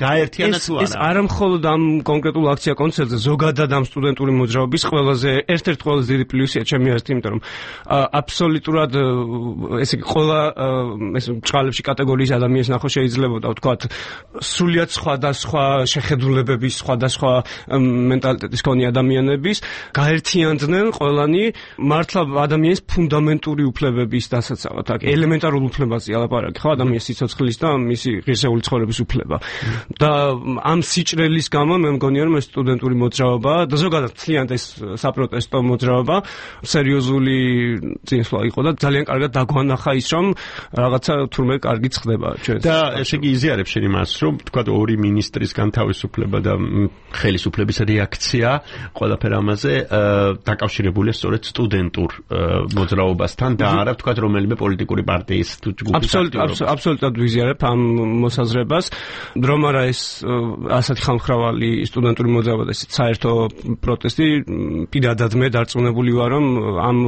გაერთიანა თუ არა? ეს არა მხოლოდ ამ კონკრეტულ აქცია კონცერტზე, ზოგადად ამ სტუდენტური მოძრაობის ერთ-ერთი ყველაზე დიდი პლუსია ჩემი აზრით, იმიტომ რომ აბსოლუტურად ესე იგი ყველა ეს ბრწყალებში კატეგორიის ადამიანს ნახო შეიძლებოდა ვთქვათ, სრულიად სხვადასხვა შეხედულებების, სხვადასხვა მენტალიტეტის მქონე ადამიანების გაერთიანდნენ ყველანი მართლა ადამიანის ფუნდამენტური უფლებების დასაცავად, აქ ელემენტარულ უფლებაზე ალაპარაკი, ხო, ადამიანის სიცოცხლის და მისი ღირსეული ცხოვრების უფლება. და ამ სიჭრელის გამო მე მგონია რომ ეს სტუდენტური მოძრაობა და ზოგადად მთლიანად ეს საპროტესტო მოძრაობა სერიოზული წინსვლა იყო და ძალიან კარგად დაგვანახა ის რომ რაღაცა თურმე კარგიც ხდება ჩვენ. და ესე იგი იზიარებს შენ იმას რომ თქვა ორი მინისტრის განთავისუფლება და ხელისუფლების რეაქცია ყველაფერ ამაზე დაკავშირებულია სწორედ სტუდენტურ მოძრაობასთან და არა ვთქვათ რომელიმე პოლიტიკური პარტიის თუ ჯგუფის აბსოლუტურად ვიზიარებ ამ მოსაზრებას, რომ არა ეს ასეთი ხალხმრავალი სტუდენტური მოძრაობა და საერთო პროტესტი, პირადად მე დარწმუნებული ვარ, რომ ამ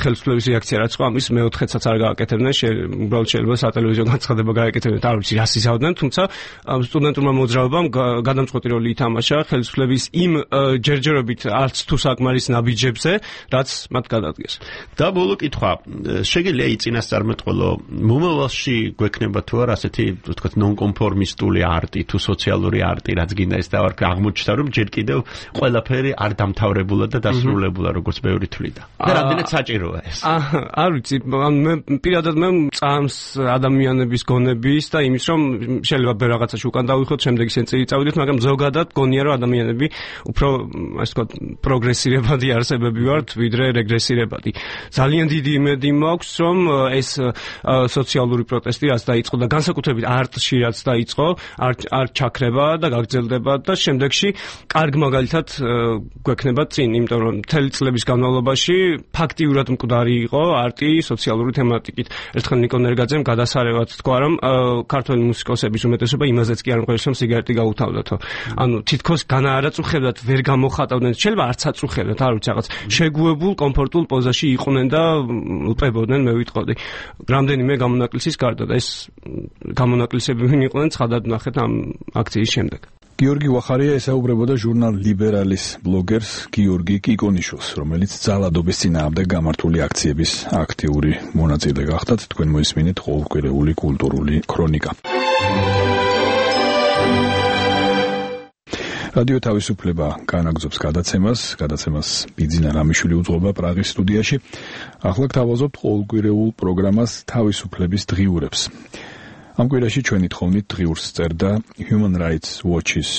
ხელისუფლების რეაქცია რაც იყო, ამის მეოთხედსაც არ გააკეთებდნენ, უბრალოდ შეიძლება სატელევიზიო განცხადება გააკეთებდნენ, არ ვიცი რას იზავდნენ, თუმცა სტუდენტურმა მოძრაობამ გადამწყვეტი როლი ითამაშა ხელისუფლების იმ ჯერჯერობით არც თუ საკმარის ნაბიჯებზე, რაც მათ გადადგეს. და ბოლო კითხვა, შეგიძლია იწინასწარმეტყველო, მომავალში გვექნება თუ არა ასეთი, ვთქვათ, ნონკონფორმისტული არტი თუ სოციალური არტი, რაც გინდა ის და აღმოჩნდა, რომ ჯერ კიდევ ყველაფერი არ დამთავრებულა და დასრულებულა, როგორც ბევრი თვლიდა. და რამდენად საჭიროა ეს? არ ვიცი, მე პირადად მე წამს ადამიანების გონების და იმის, რომ შეიძლება ბევრ რაღაცაში უკან დავიხოთ, შემდეგ ისე წავიდეთ, მაგრამ ზოგადად გონია, რომ ადამიანები უფრო ასე ვთქვათ პროგრესირებადი არსებები ვართ, ვიდრე რეგრესირებადი. ძალიან დიდი იმედი მაქვს, რომ ეს სოციალური პროტესტი რაც დაიწყო და განსაკუთრებით არტში რაც დაიწყო, არ ჩაქრება და გაგრძელდება და შემდეგში კარგ მაგალითად გვექნება წინ, იმიტომ რომ მთელი წლების განმავლობაში ფაქტიურად მკვდარი იყო არტი სოციალური თემატიკით. ერთხელ ნიკონ ერგაძემ გადასარევად თქვა, რომ ქართველი მუსიკოსების უმეტესობა იმაზეც კი არ მყავს, რომ სიგარეტი გაუთავდათო. ანუ თითქოს განაარაწუხებდათ, ვერ გამოხატავდნენ, შეიძლება არც აწუხებდათ, არ ვიცი რაღაც შეგუებულ, კომფორტულ პოზაში იყვნენ და ლპებოდნენ, მე ვიტყოდი. რამდენიმე გამონაკლისის გარდა და ეს გამონაკლისები ვინ იყვნენ, ცხადად ნახეთ ამ აქციის შემდეგ. გიორგი ვახარია ესაუბრებოდა ჟურნალ ლიბერალის ბლოგერს გიორგი კიკონიშვილს, რომელიც ძალადობის წინააღმდეგ გამართული აქციების აქტიური მონაწილე გახდათ. თქვენ მოისმინეთ ყოველკვირეული კულტურული ქრონიკა. რადიო თავისუფლება განაგზობს გადაცემას ბიძინა რამიშვილი უძღვება პრაღის სტუდიაში. ახლა გთავაზობთ ყოველკვირეულ პროგრამას თავისუფლების დღიურებს. ამ კვირაში ჩვენი თხოვნით დღიურს წერდა Human Rights Watch-ის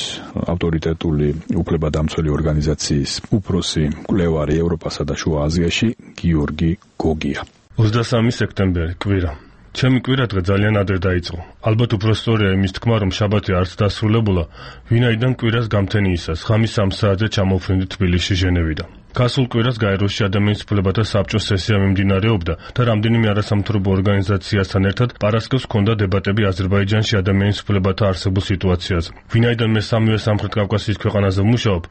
ავტორიტეტული უფლებადამცველი ორგანიზაციის უფროსი მკვლევარი ევროპასა და შუა აზიაში გიორგი გოგია. 23 სექტემბერი კვირა. ჩემი კვირა დღე ძალიან ადრე დაიწყო. ალბათ უფრო სწორია იმის თქმა, რომ შაბათი არც დასრულებულა, ვინაიდან კვირას გამთენიისას, ღამის 3 საათზე ჩამოვფრინდი თბილისში ჟენევიდან. გასულ კვირას გაეროში ადამიანის უფლებათა საბჭოს სესია მიმდინარეობდა და რამდენიმე არასამთავრობო ორგანიზაციასთან ერთად პარასკევს ჰქონდა დებატები აზერბაიჯანში ადამიანის უფლებათა არსებულ სიტუაციაზე. ვინაიდან მე სამივე სამხრეთ კავკასიის ქვეყანაზე ვმუშაობ,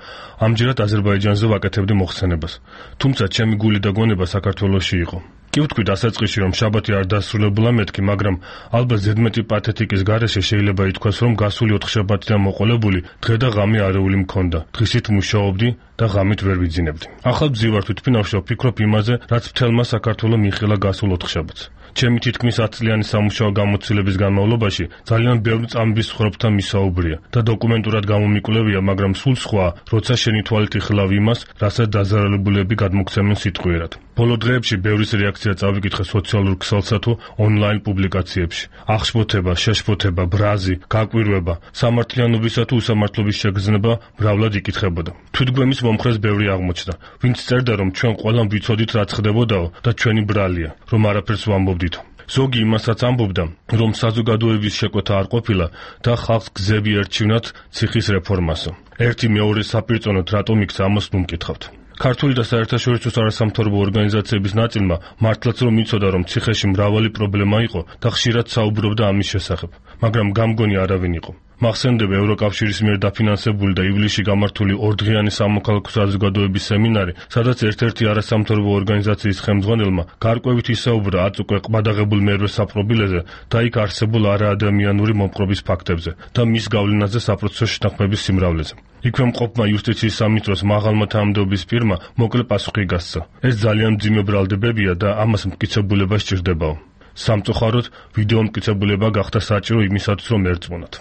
ამჯერად აზერბაიჯანზე ვაკეთებდი მოხსენებას. თუმცა ჩემი გული და გონება საქართველოში იყო. კი ვთქვი დასაწყისში, რომ შაბათი არ დასრულებულა მეთქი, მაგრამ ალბათ ზედმეტი პათეტიკის გარეშე შეიძლება ითქვას, რომ გასული 4 შაბათიდან მოყოლებული დღე და ღამე არეული მქონდა. დღისით მუშაობდი და ღამით ვერ ვიძინებდი. ახალ ბძივარ თვითფრინავში ვფიქრობ იმაზე, რაც მთელმა საქართველოს მიიღილა გასულ 4 შაბათს. ჩემი თითქმის 10 წლიანი სამუშაო გამოცდილების განმავლობაში ძალიან ბევრ წამების ხრობთან მისაუბრია და დოკუმენტურად გამომიკვლევია, მაგრამ სულ სხვა, როცა შენი თვალით იხილავ იმას, რასაც დაზარალებულები გადმოგცემენ სიტყვიერად. ბოლო დღეებში ბევრის რეაქცია წავიკითხე სოციალურ ქსელსა თუ ონლაინ პუბლიკაციებში. აღშფოთება, შეშფოთება, ბრაზი, გაკვირვება, სამართლიანობისა თუ უსამართლობის შეგრძნება მრავლად იკითხებოდა. თვითგვემის მომხრეს ბევრი აღმოჩნდა, ვინც წერდა, რომ ჩვენ ყველამ ვიცოდით რა ხდებოდაო და ჩვენი ბრალია, რომ არაფერს ვამბობდითო. ზოგი იმასაც ამბობდა, რომ საზოგადოების შეკვეთა არ ყოფილა და ხალხს გზები ერჩივნათ ციხის რეფორმასო. ერთი მეორეს საპირწონოდ რატომ იქცა ამას ნუმკითხავთ. ქართული და საერთაშორისო არასამთავრობო ორგანიზაციების ნაწილმა მართლაც რომ იცოდა, რომ ციხეში მრავალი პრობლემა იყო და ხშირად საუბრობდა ამის შესახებ, მაგრამ გამგონი არავინ იყო. მახსენდება ევროკავშირის მიერ დაფინანსებული და ივლისში გამართული 2 დღიანი სამოქალაქო საზოგადოების სემინარი, სადაც ერთ-ერთი არასამთავრობო ორგანიზაციის ხელმძღვანელმა გარკვევით ისაუბრა 10 უკვე ყბადაღებულ მერვე საპრობილეზე და იქ არსებულ არაადამიანური მომხრობის ფაქტებზე და მის გავლენაზე საპროცესო შეთანხმების სიმრავლეზე. იქვე მყოფმა იუსტიციის სამინისტროს მაღალმა თანამდებობის პირმა მოკლე პასუხი გასცა. ეს ძალიან მძიმე ბრალდებებია და ამას მტკიცებულება სჭირდებაო. სამწუხაროდ, ვიდეო მტკიცებულება გახდა საჭირო იმისათვის, რომ ერწმუნათ.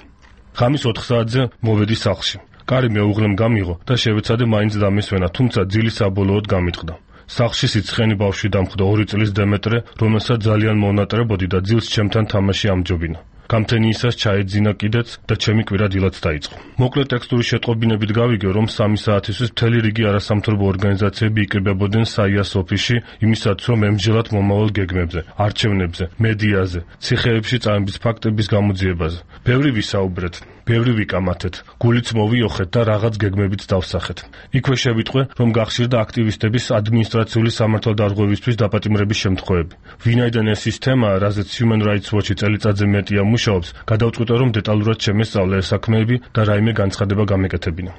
ღამის 4 საათზე მოვედი სახლში. კარი მეუღლემ გამიღო და შევეცადე მაინც დამესვენა, თუმცა ძილი საბოლოოდ გამიტყდა. სახლში სიცხენი ბავშვი დამხვდა 2 წლის დემეტრე, რომელსაც ძალიან მონატრებოდი და ძილს ჩემთან თამაში ამჯობინა. გამთენიისას ჩაეძინა კიდეც და ჩემი კვირა დილაც დაიწყო. მოკლე ტექსტური შეტყობინებით გავიგე, რომ 3 საათისთვის მთელი რიგი არასამთავრობო ორგანიზაციები იკრიბებოდნენ საიას ოფისში იმისათვის, რომ ემსჯელათ მომავალ გეგმებზე, არჩევნებზე, მედიაზე, ციხეებში წამების ფაქტების გამოძიებაზე. ბევრი ვისაუბრეთ, ბევრი ვიკამათეთ, გულიც მოვიოხეთ და რაღაც გეგმებიც დავსახეთ. იქვე შევიტყვე, რომ გახშირდა აქტივისტების ადმინისტრაციული სამართალდარღვევისთვის დაპატიმრების შემთხვევები. ვინაიდან ეს ის თემაა, რაზეც Human Rights Watch-ი წელიწადზე მეტია მუშაობს, გადავწყვიტე, რომ დეტალურად შემესწავლე ეს საქმეები და რაიმე განცხადება გამეკეთებინა.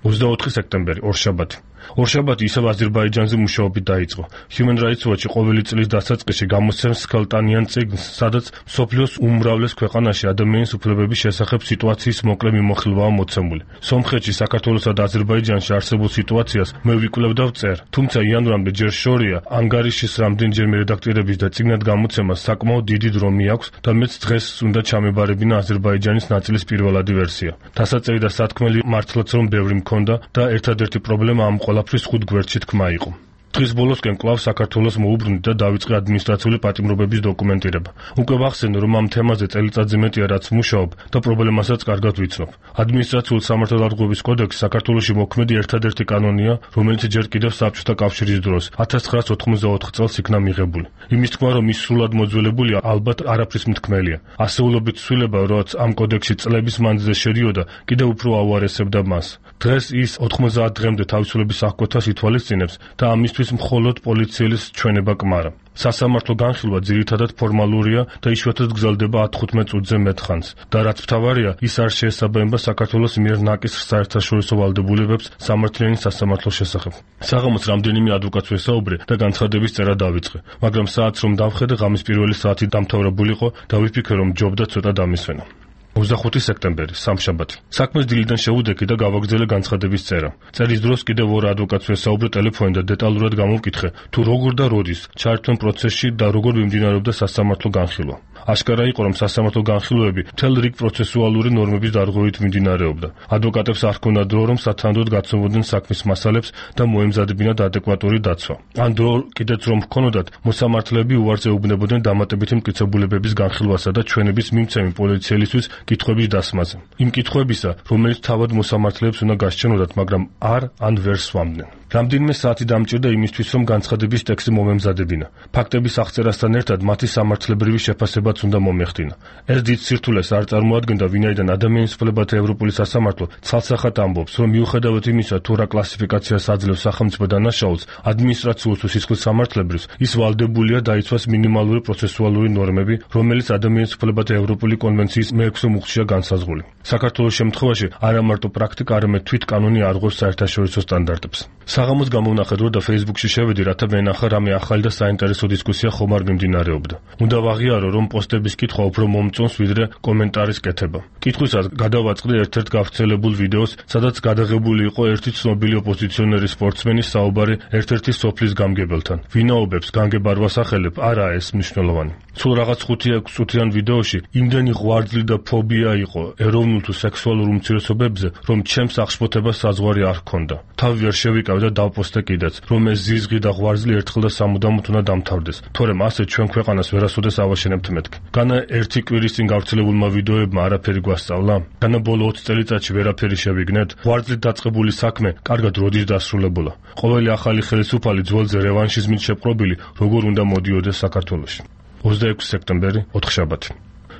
24 სექტემბერი, ორშაბათი. ორშაბათი ისევ აზერბაიჯანზე მუშაობით დაიწყო. Human Rights Watch-ი ყოველი წლის დასაწყისში გამოსცემს სქელტანიან წიგნს, სადაც მსოფლიოს უმრავლეს ქვეყანაში ადამიანის უფლებების შესახებ სიტუაციის მოკლე მიმოხილვაა მოცემული. სომხეთში, საქართველოსა და აზერბაიჯანში არსებულ სიტუაციას მე ვიკვლევ და ვწერ, თუმცა იანვრამდე ჯერ შორია ანგარიშის რამდენჯერმე რედაქტირების და წიგნად გამოცემას საკმაოდ დიდი დრო მიაქვს და მეც დღეს უნდა ჩამებარებინა აზერბაიჯანის ნაწილის პირველადი ვერსია. დასაწერი და სათქმელი მართლაც რომ ბევრი მქონდა და ერთადერთი პრობლემა ამ ყველაფრის 5 გვერდში თქმა იყო. დღის ბოლოსკენ კვლავ საქართველოს მოუბრუნდი და დავიწყე ადმინისტრაციული პატიმრობების დოკუმენტირება. უკვე ვახსენე, რომ ამ თემაზე წელიწადზე მეტია რაც ვმუშაობ და პრობლემასაც კარგად ვიცნობ. ადმინისტრაციული სამართალდარღვევის კოდექსი საქართველოში მოქმედი ერთადერთი კანონია, რომელიც ჯერ კიდევ საბჭოთა კავშირის დროს 1984 წელს იქნა მიღებული. იმის თქმა, რომ ის სრულად მოძველებულია, ალბათ არაფრის მთქმელია. ასეულობით ცვლილება, რაც ამ კოდექსში წლების მანძილზე შედიოდა, კიდევ უფრო აუარესებდა მას. დღეს ის 90 დღემდე თავისუფლების აღკვეთას ითვალისწინებს და ამისთვის მხოლოდ პოლიციელის ჩვენება კმარა. სასამართლო განხილვა ძირითადად ფორმალურია და იშვიათად გრძელდება 15 წუთზე მეტ ხანს და რაც მთავარია, ის არ შეესაბამება საქართველოს მიერ ნაკისრ საერთაშორისო ვალდებულებებს სამართლიანი სასამართლოს შესახებ. საღამოს რამდენიმე ადვოკატს ვესაუბრე და განცხადების წერა დავიწყე, მაგრამ საათს რომ დავხედე, ღამის პირველი საათი დამთავრებულიყო და ვიფიქრე, რომ ჯობდა ცოტა დამისვენა. 25 სექტემბერი, სამშაბათი. საქმეს დილიდან შევუდექი და გავაგრძელე განცხადების წერა. წერის დროს კიდევ 2 ადვოკატს ვესაუბრე ტელეფონით და დეტალურად გამოვკითხე, თუ როგორ და როდის ჩაერთვენ პროცესში და როგორ მიმდინარეობდა სასამართლო განხილვა. აშკარა იყო, რომ სასამართლო განხილვები მთელ რიგ პროცესუალური ნორმების დარღვევით მიმდინარეობდა. ადვოკატებს არ ჰქონდათ დრო, რომ სათანადოდ გაცნობოდნენ საქმის მასალებს და მოემზადებინათ ადეკვატური დაცვა. ან დრო კიდეც რომ ჰქონოდათ, მოსამართლეები უარზე ეუბნებოდნენ დამატებითი მტკიცებულებების განხილვასა და ჩვენების მიმცემი პოლიციელისთვის კითხვების დასმაზე. იმ კითხვებისა, რომელიც თავად მოსამართლეებს უნდა გასჩენოდათ, მაგრამ არ ან ვერ სვამდნენ. რამდენიმე საათი დამჭირდა იმისთვის, რომ განცხადების ტექსტი მომემზადებინა. ფაქტების აღწერასთან ერთად მათი სამართლებრივი შეფასებაც უნდა მომეხდინა. ეს დიდ სირთულეს არ წარმოადგენდა, ვინაიდან ადამიანის უფლებათა ევროპული სასამართლო ცალსახად ამბობს, რომ მიუხედავად იმისა, თუ რა კლასიფიკაციას აძლევს სახელმწიფო დანაშაულს ადმინისტრაციულ თუ სისხლის სამართლებრივს, ის ვალდებულია დაიცვას მინიმალური პროცესუალური ნორმები, რომელიც ადამიანის უფლებათა ევროპული კონვენციის მე-6 მუხტშია განსაზღვრული. საქართველოს შემთხვევაში არა მარტო პრაქტიკა, არამედ თვით კანონი არღვევს საერთაშორისო სტანდარტებს. საღამოს გამოვნახე დრო და Facebook-ში შევედი, რათა ვენახა რამე ახალი და საინტერესო დისკუსია ხომ არ მიმდინარეობდა. უნდა ვაღიარო, რომ პოსტების კითხვა უფრო მომწონს, ვიდრე კომენტარის კეთება. კითხვისას გადავაწყდი ერთ-ერთ გავრცელებულ ვიდეოს, სადაც გადაღებული იყო ერთი ცნობილი ოპოზიციონერი სპორტსმენის საუბარი ერთ-ერთი სოფლის გამგებელთან. ვინაობებს განგებ არ ვასახელებ, არაა ეს მნიშვნელოვანი. სულ რაღაც 5-6 წუთიან ვიდეოში იმდენი ღვიძლი და ფობია იყო ეროვნულ თუ სექსუალურ უმცირესობებზე, რომ ჩემს აღშფოთებას საზღვარი არ ჰქონდა. თავი ვერ შევიკავ და დავპოსტე კიდეც, რომ ეს ზიზღი და ღვიძლი ერთხელ და სამუდამოდ უნდა დამთავრდეს. თორემ ასე ჩვენ ქვეყანას ვერასოდეს ავაშენებთ მეთქი. განა ერთი კვირის წინ გავრცელებულმა ვიდეოებმა არაფერი გვასწავლა? განა ბოლო 20 წელიწადში ვერაფერი შევიგნეთ? ღვიძლით დაწყებული საქმე კარგად როდის დასრულებულა? ყოველი ახალი ხელისუფალი ძველზე რევანშიზმით შეპყრობილი როგორ უნდა მოდიოდეს საქართველოში? 26 სექტემბერი, ოთხშაბათი.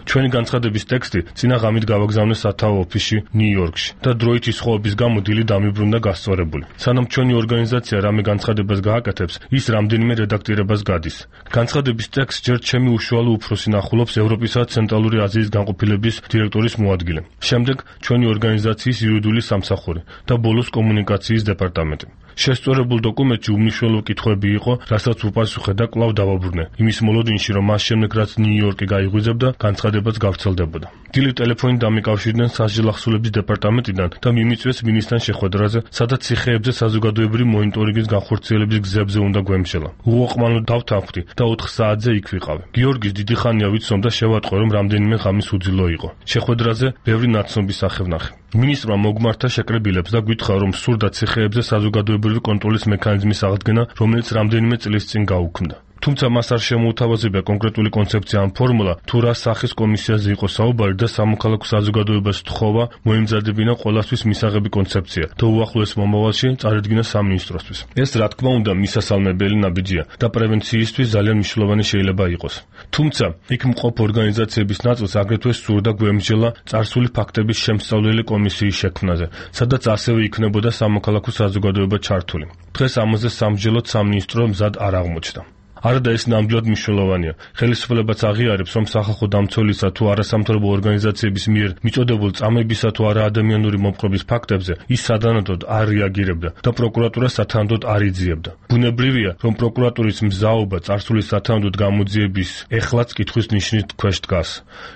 ჩვენი განცხადების ტექსტი წინა ღამით გავაგზავნეს სათაო ოფისში ნიუ-იორკში და დროითი სხვაობის გამო დილი დამიბრუნდა გასწორებული. სანამ ჩვენი ორგანიზაცია რამე განცხადებას გააკეთებს, ის რამდენიმე რედაქტირებას გადის. განცხადების ტექსტს ჯერ ჩემი უშუალო უფროსი ნახულობს ევროპისა და ცენტრალური აზიის განყოფილების დირექტორის მოადგილე. შემდეგ ჩვენი ორგანიზაციის იურიდიული სამსახური და ბოლოს კომუნიკაციის დეპარტამენტი. შესწორებულ დოკუმენტში უმნიშვნელო კითხვები იყო, რასაც უპასუხე და კვლავ დავაბრუნე. იმის მოლოდინში, რომ მას შემდეგ რაც ნიუ-იორკი გაიღვიძებდა, განცხადებაც გავრცელდებოდა. დილით ტელეფონით დამიკავშირდნენ სასჯელ ახსულების დეპარტამენტიდან და მიმიწვიეს მინისტრთან შეხვედრაზე, სადაც ციხეებზე საზოგადოებრივი მონიტორინგის განხორციელების გზებზე უნდა გვემშელა. უოყმანო დავთანხმდი და 4 საათზე იქ ვიყავი. გიორგის დიდი ხანია ვიცნობ და შევატყო, რომ რამდენიმე ღამის უძილო იყო. შეხვედრაზე ბევრი ნაცნობის სახე ვნახე. მინისტრმა მოგმართა შეკრებილებს და გითხრა, რომ სურდა ციხეებზე საზოგადოებრივი კონტროლის მექანიზმის აღდგენა, რომელიც რამდენიმე წლის წინ გაუქმდა. თუმცა მას არ შემოუთავაზებია კონკრეტული კონცეფცია ან ფორმულა, თუ რა სახის კომისიაზე იყო საუბარი და სამოქალაქო საზოგადოებას თხოვა მოემზადებინა ყველასთვის მისაღები კონცეფცია და უახლოეს მომავალში წარედგინა სამინისტროსთვის. ეს რა თქმა უნდა მისასალმებელი ნაბიჯია და პრევენციისთვის ძალიან მნიშვნელოვანი შეიძლება იყოს. თუმცა იქ მყოფ ორგანიზაციების ნაწილს აგრეთვე სურდა გვემსჯელა წარსული ფაქტების შემსწავლელი კომისიის შექმნაზე, სადაც ასევე იქნებოდა სამოქალაქო საზოგადოება ჩართული. დღეს ამაზე სამსჯელოდ სამინისტრო მზად არ აღმოჩნდა. არადა ეს ნამდვილად მნიშვნელოვანია. ხელისუფლებაც აღიარებს, რომ სახალხო დამცველისა თუ არასამთავრობო ორგანიზაციების მიერ მიწოდებულ წამებისა თუ არაადამიანური მოპყრობის ფაქტებზე ის სადანადოდ არ რეაგირებდა და პროკურატურა სათანადოდ არ იძიებდა. ბუნებრივია, რომ პროკურატურის მზაობა წარსული სათანადოდ გამოძიების ეხლაც კითხვის ნიშნის ქვეშ დგას.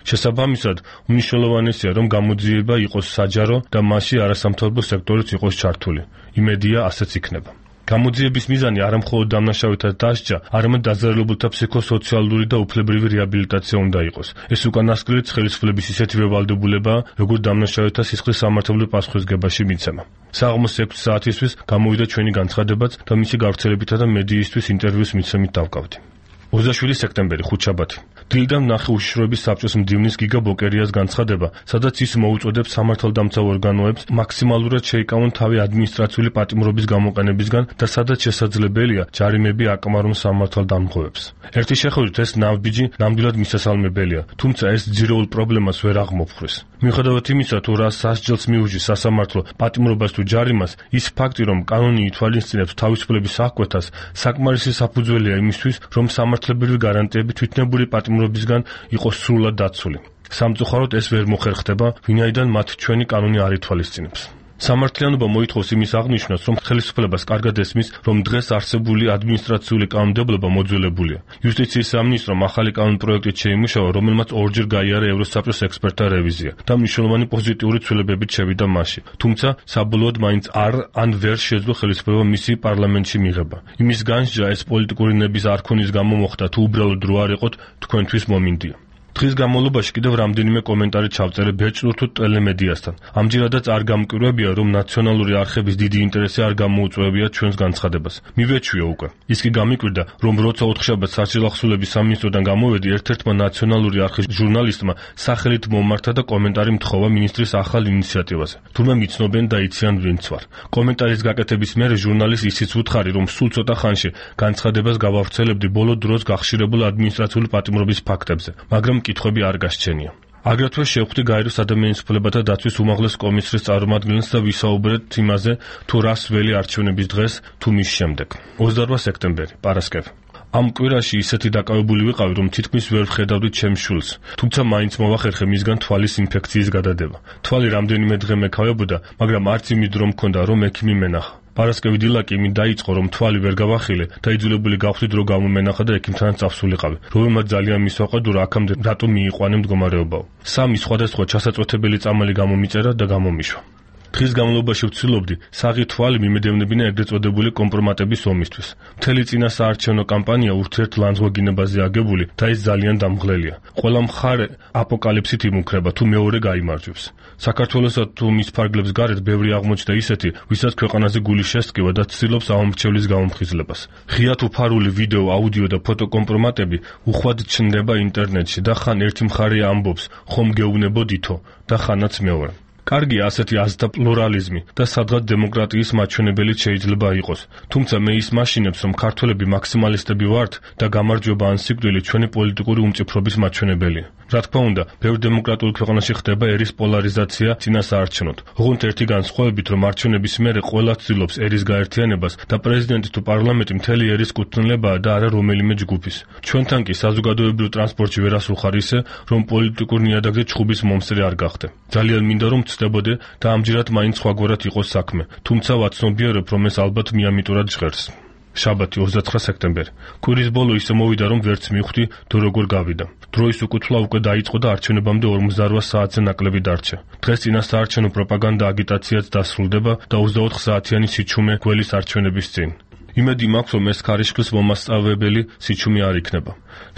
შესაბამისად, უმნიშვნელოვანესია, რომ გამოძიება იყოს საჯარო და მასში არასამთავრობო სექტორიც იყოს ჩართული. იმედია, ასეც იქნება. გამოძიების მიზანი არა მხოლოდ დამნაშავეთა დასჯა, არამედ დაზარალებულთა ფსიქოსოციალური და უფლებრივი რეაბილიტაცია უნდა იყოს. ეს უკანასკნელიც ხელისუფლების ისეთივე ვალდებულებაა, როგორც დამნაშავეთა სისხლის სამართლებრივ პასუხისგებაში მიცემა. საღამოს 6 საათისთვის გამოვიდა ჩვენი განცხადებაც და მისი გავრცელებითა და მედიისთვის ინტერვიუს მიცემით დავკავდი. 27 სექტემბერი, ხუთშაბათი. დილიდან ვნახე უშიშროების საბჭოს მდივნის გიგა ბოკერიას განცხადება, სადაც ის მოუწოდებს სამართალდამცავ ორგანოებს მაქსიმალურად შეიკავონ თავი ადმინისტრაციული პატიმრობის გამოყენებისგან და სადაც შესაძლებელია ჯარიმები აკმარონ სამართალდამცავებს. ერთი შეხედვით ეს ნაბიჯი ნამდვილად მისასალმებელია, თუმცა ეს ძირეულ პრობლემას ვერ აღმოფხვრეს. მიუხედავად იმისა, თუ რა სასჯელს მიუჯის სასამართლო პატიმრობას თუ ჯარიმას, ის ფაქტი, რომ კანონი ითვალისწინებს თავისუფლების აღკვეთას, საკმარისი საფუძველია იმისთვის, რომ სამართლებრივი გარანტიები თვითნებური პატიმრობისგან იყოს სრულად დაცული. სამწუხაროდ ეს ვერ მოხერხდება, ვინაიდან მათ ჩვენი კანონი არ ითვალისწინებს. სამართლიანობა მოითხოვს იმის აღნიშვნას, რომ ხელისუფლებას კარგად ესმის, რომ დღეს არსებული ადმინისტრაციული კანონმდებლობა მოძველებულია. იუსტიციის სამინისტრომ ახალი კანონპროექტით შეიმუშავა, რომელმაც ორჯერ გაიარა ევროსაბჭოს ექსპერტთა რევიზია და მნიშვნელოვანი პოზიტიური ცვლილებებით შევიდა მასში. თუმცა საბოლოოდ მაინც ან ვერ შეძლო ხელისუფლება მისი პარლამენტში მიღება. იმის განსჯა ეს პოლიტიკური ნების არქონის გამო მოხდა, თუ უბრალოდ რო არ იყოთ თქვენთვის მომინდია. დღის განმავლობაში კიდევ რამდენიმე კომენტარი ჩავწერე ბეჭდურ თუ ტელემედიასთან. ამჯერადაც არ გამკვირვებია, რომ ნაციონალური არხების დიდი ინტერესი არ გამოუწვევია ჩვენს განცხადებას. მივეჩვია უკვე. ის კი გამიკვირდა, რომ როცა ოთხშაბათს საჯელახსოვრების სამინისტროდან გამოვედი, ერთ-ერთმა ნაციონალური არხის ჟურნალისტმა სახელით მომართა და კომენტარი მთხოვა მინისტრის ახალ ინიციატივაზე. თურმე მიცნობენ და იციან ვინც ვარ. კომენტარის გაკეთების მერე ჟურნალისტ ისიც უთხარი, რომ სულ ცოტა ხანში განცხადებას გავავრცელებდი ბოლო დროს გახშირებულ ადმინისტრაციული პატიმრობის ფაქტებზე, მაგრამ კითხვები არ გასჩენია. აგრეთვე შევხვდი გაეროს ადამიანის უფლებათა დაცვის უმაღლეს კომისრის წარმომადგენელს და ვისაუბრეთ იმაზე, თუ რას ველი არჩევნების დღეს თუ მის შემდეგ. 28 სექტემბერი, პარასკევი. ამ კვირაში ისეთი დაკავებული ვიყავი, რომ თითქმის ვერ ვხედავდი ჩემს შვილს, თუმცა მაინც მოვახერხე მისგან თვალის ინფექციის გადადება. თვალი რამდენიმე დღე მეკავებოდა, მაგრამ არც იმით რომ მქონდა, რომ ექიმი მენახა. პარასკევი დილა კი იმით დაიწყო, რომ თვალი ვერ გავახილე და იძულებული გავხდი დრო გამომენახა და ექიმთანაც წავსულიყავი, რომელმაც ძალიან მისვაყვა, აქამდე რატომ მიიყვანე მდგომარეობაო. 3 სხვადასხვა ჩასაწვეთებელი წამალი გამომიწერა და გამომიშვა. დღის განმავლობაში ვცდილობდი საღი თვალი მიმედევნებინა ეგრეთ წოდებული კომპრომატების ომისთვის. მთელი წინა საარჩევნო კამპანია ურთიერთლანძღვეგინებაზე აგებული და ეს ძალიან დამღლელია. ყველა მხარე აპოკალიფსით იმუქრება თუ მეორე გაიმარჯვებს. საქართველოსა თუ მის ფარგლებს გარეთ ბევრი აღმოჩნდა ისეთი, ვისაც ქვეყანაზე გული შესტკივა და ცდილობს ამომრჩევლის გამომხიზლებას. ღიად უფარული ვიდეო, აუდიო და ფოტო კომპრომატები უხვად ჩნდება ინტერნეტში და ხან ერთი მხარე ამბობს, ხომ გეუბნებოდითო და ხანაც მეორე. კარგია ასეთი აზრთა პლურალიზმი და სადღაც დემოკრატიის მაჩვენებელი შეიძლება იყოს. თუმცა მე ის მაშინებს, რომ ქართველები მაქსიმალისტები ვართ და გამარჯვება ან სიკვდილი ჩვენი პოლიტიკური უმწიფრობის მაჩვენებელია. რა თქმა უნდა, ბევრ დემოკრატიულ ქვეყანაში ხდება ერის პოლარიზაცია წინასაარჩევნოდ. ოღონდ ერთი განსხვავებით, რომ არჩევნების მერე ყველა ცდილობს ერის გაერთიანებას და პრეზიდენტი თუ პარლამენტი მთელი ერის კუთვნილებაა და არა რომელიმე ჯგუფის. ჩვენთან კი საზოგადოებრივ ტრანსპორტში ვერ ასულხარ ისე, რომ პოლიტიკურ ნიადაგზე ჩხუბის მომსწრე არ გახდე. ძალიან მინდა რომ ვწდებოდე და ამჯერად მაინც სხვაგვარად იყოს საქმე. თუმცა ვაცნობიერებ, რომ ეს ალბათ მიამიტურად ჟღერს. შაბათი 29 სექტემბერი. კვირის ბოლო ისე მოვიდა, რომ ვერც მივხვდი თუ როგორ გავიდა. დროის უკუთვლა უკვე დაიწყო და არჩევნებამდე 48 საათზე ნაკლები დარჩა. დღეს წინასაარჩევნო პროპაგანდა აგიტაციაც დასრულდება და 24 საათიანი სიჩუმე გველის არჩევნების წინ. იმედი მაქვს, რომ ეს ქარიშხლის მომასწავლებელი სიჩუმე არ იქნება.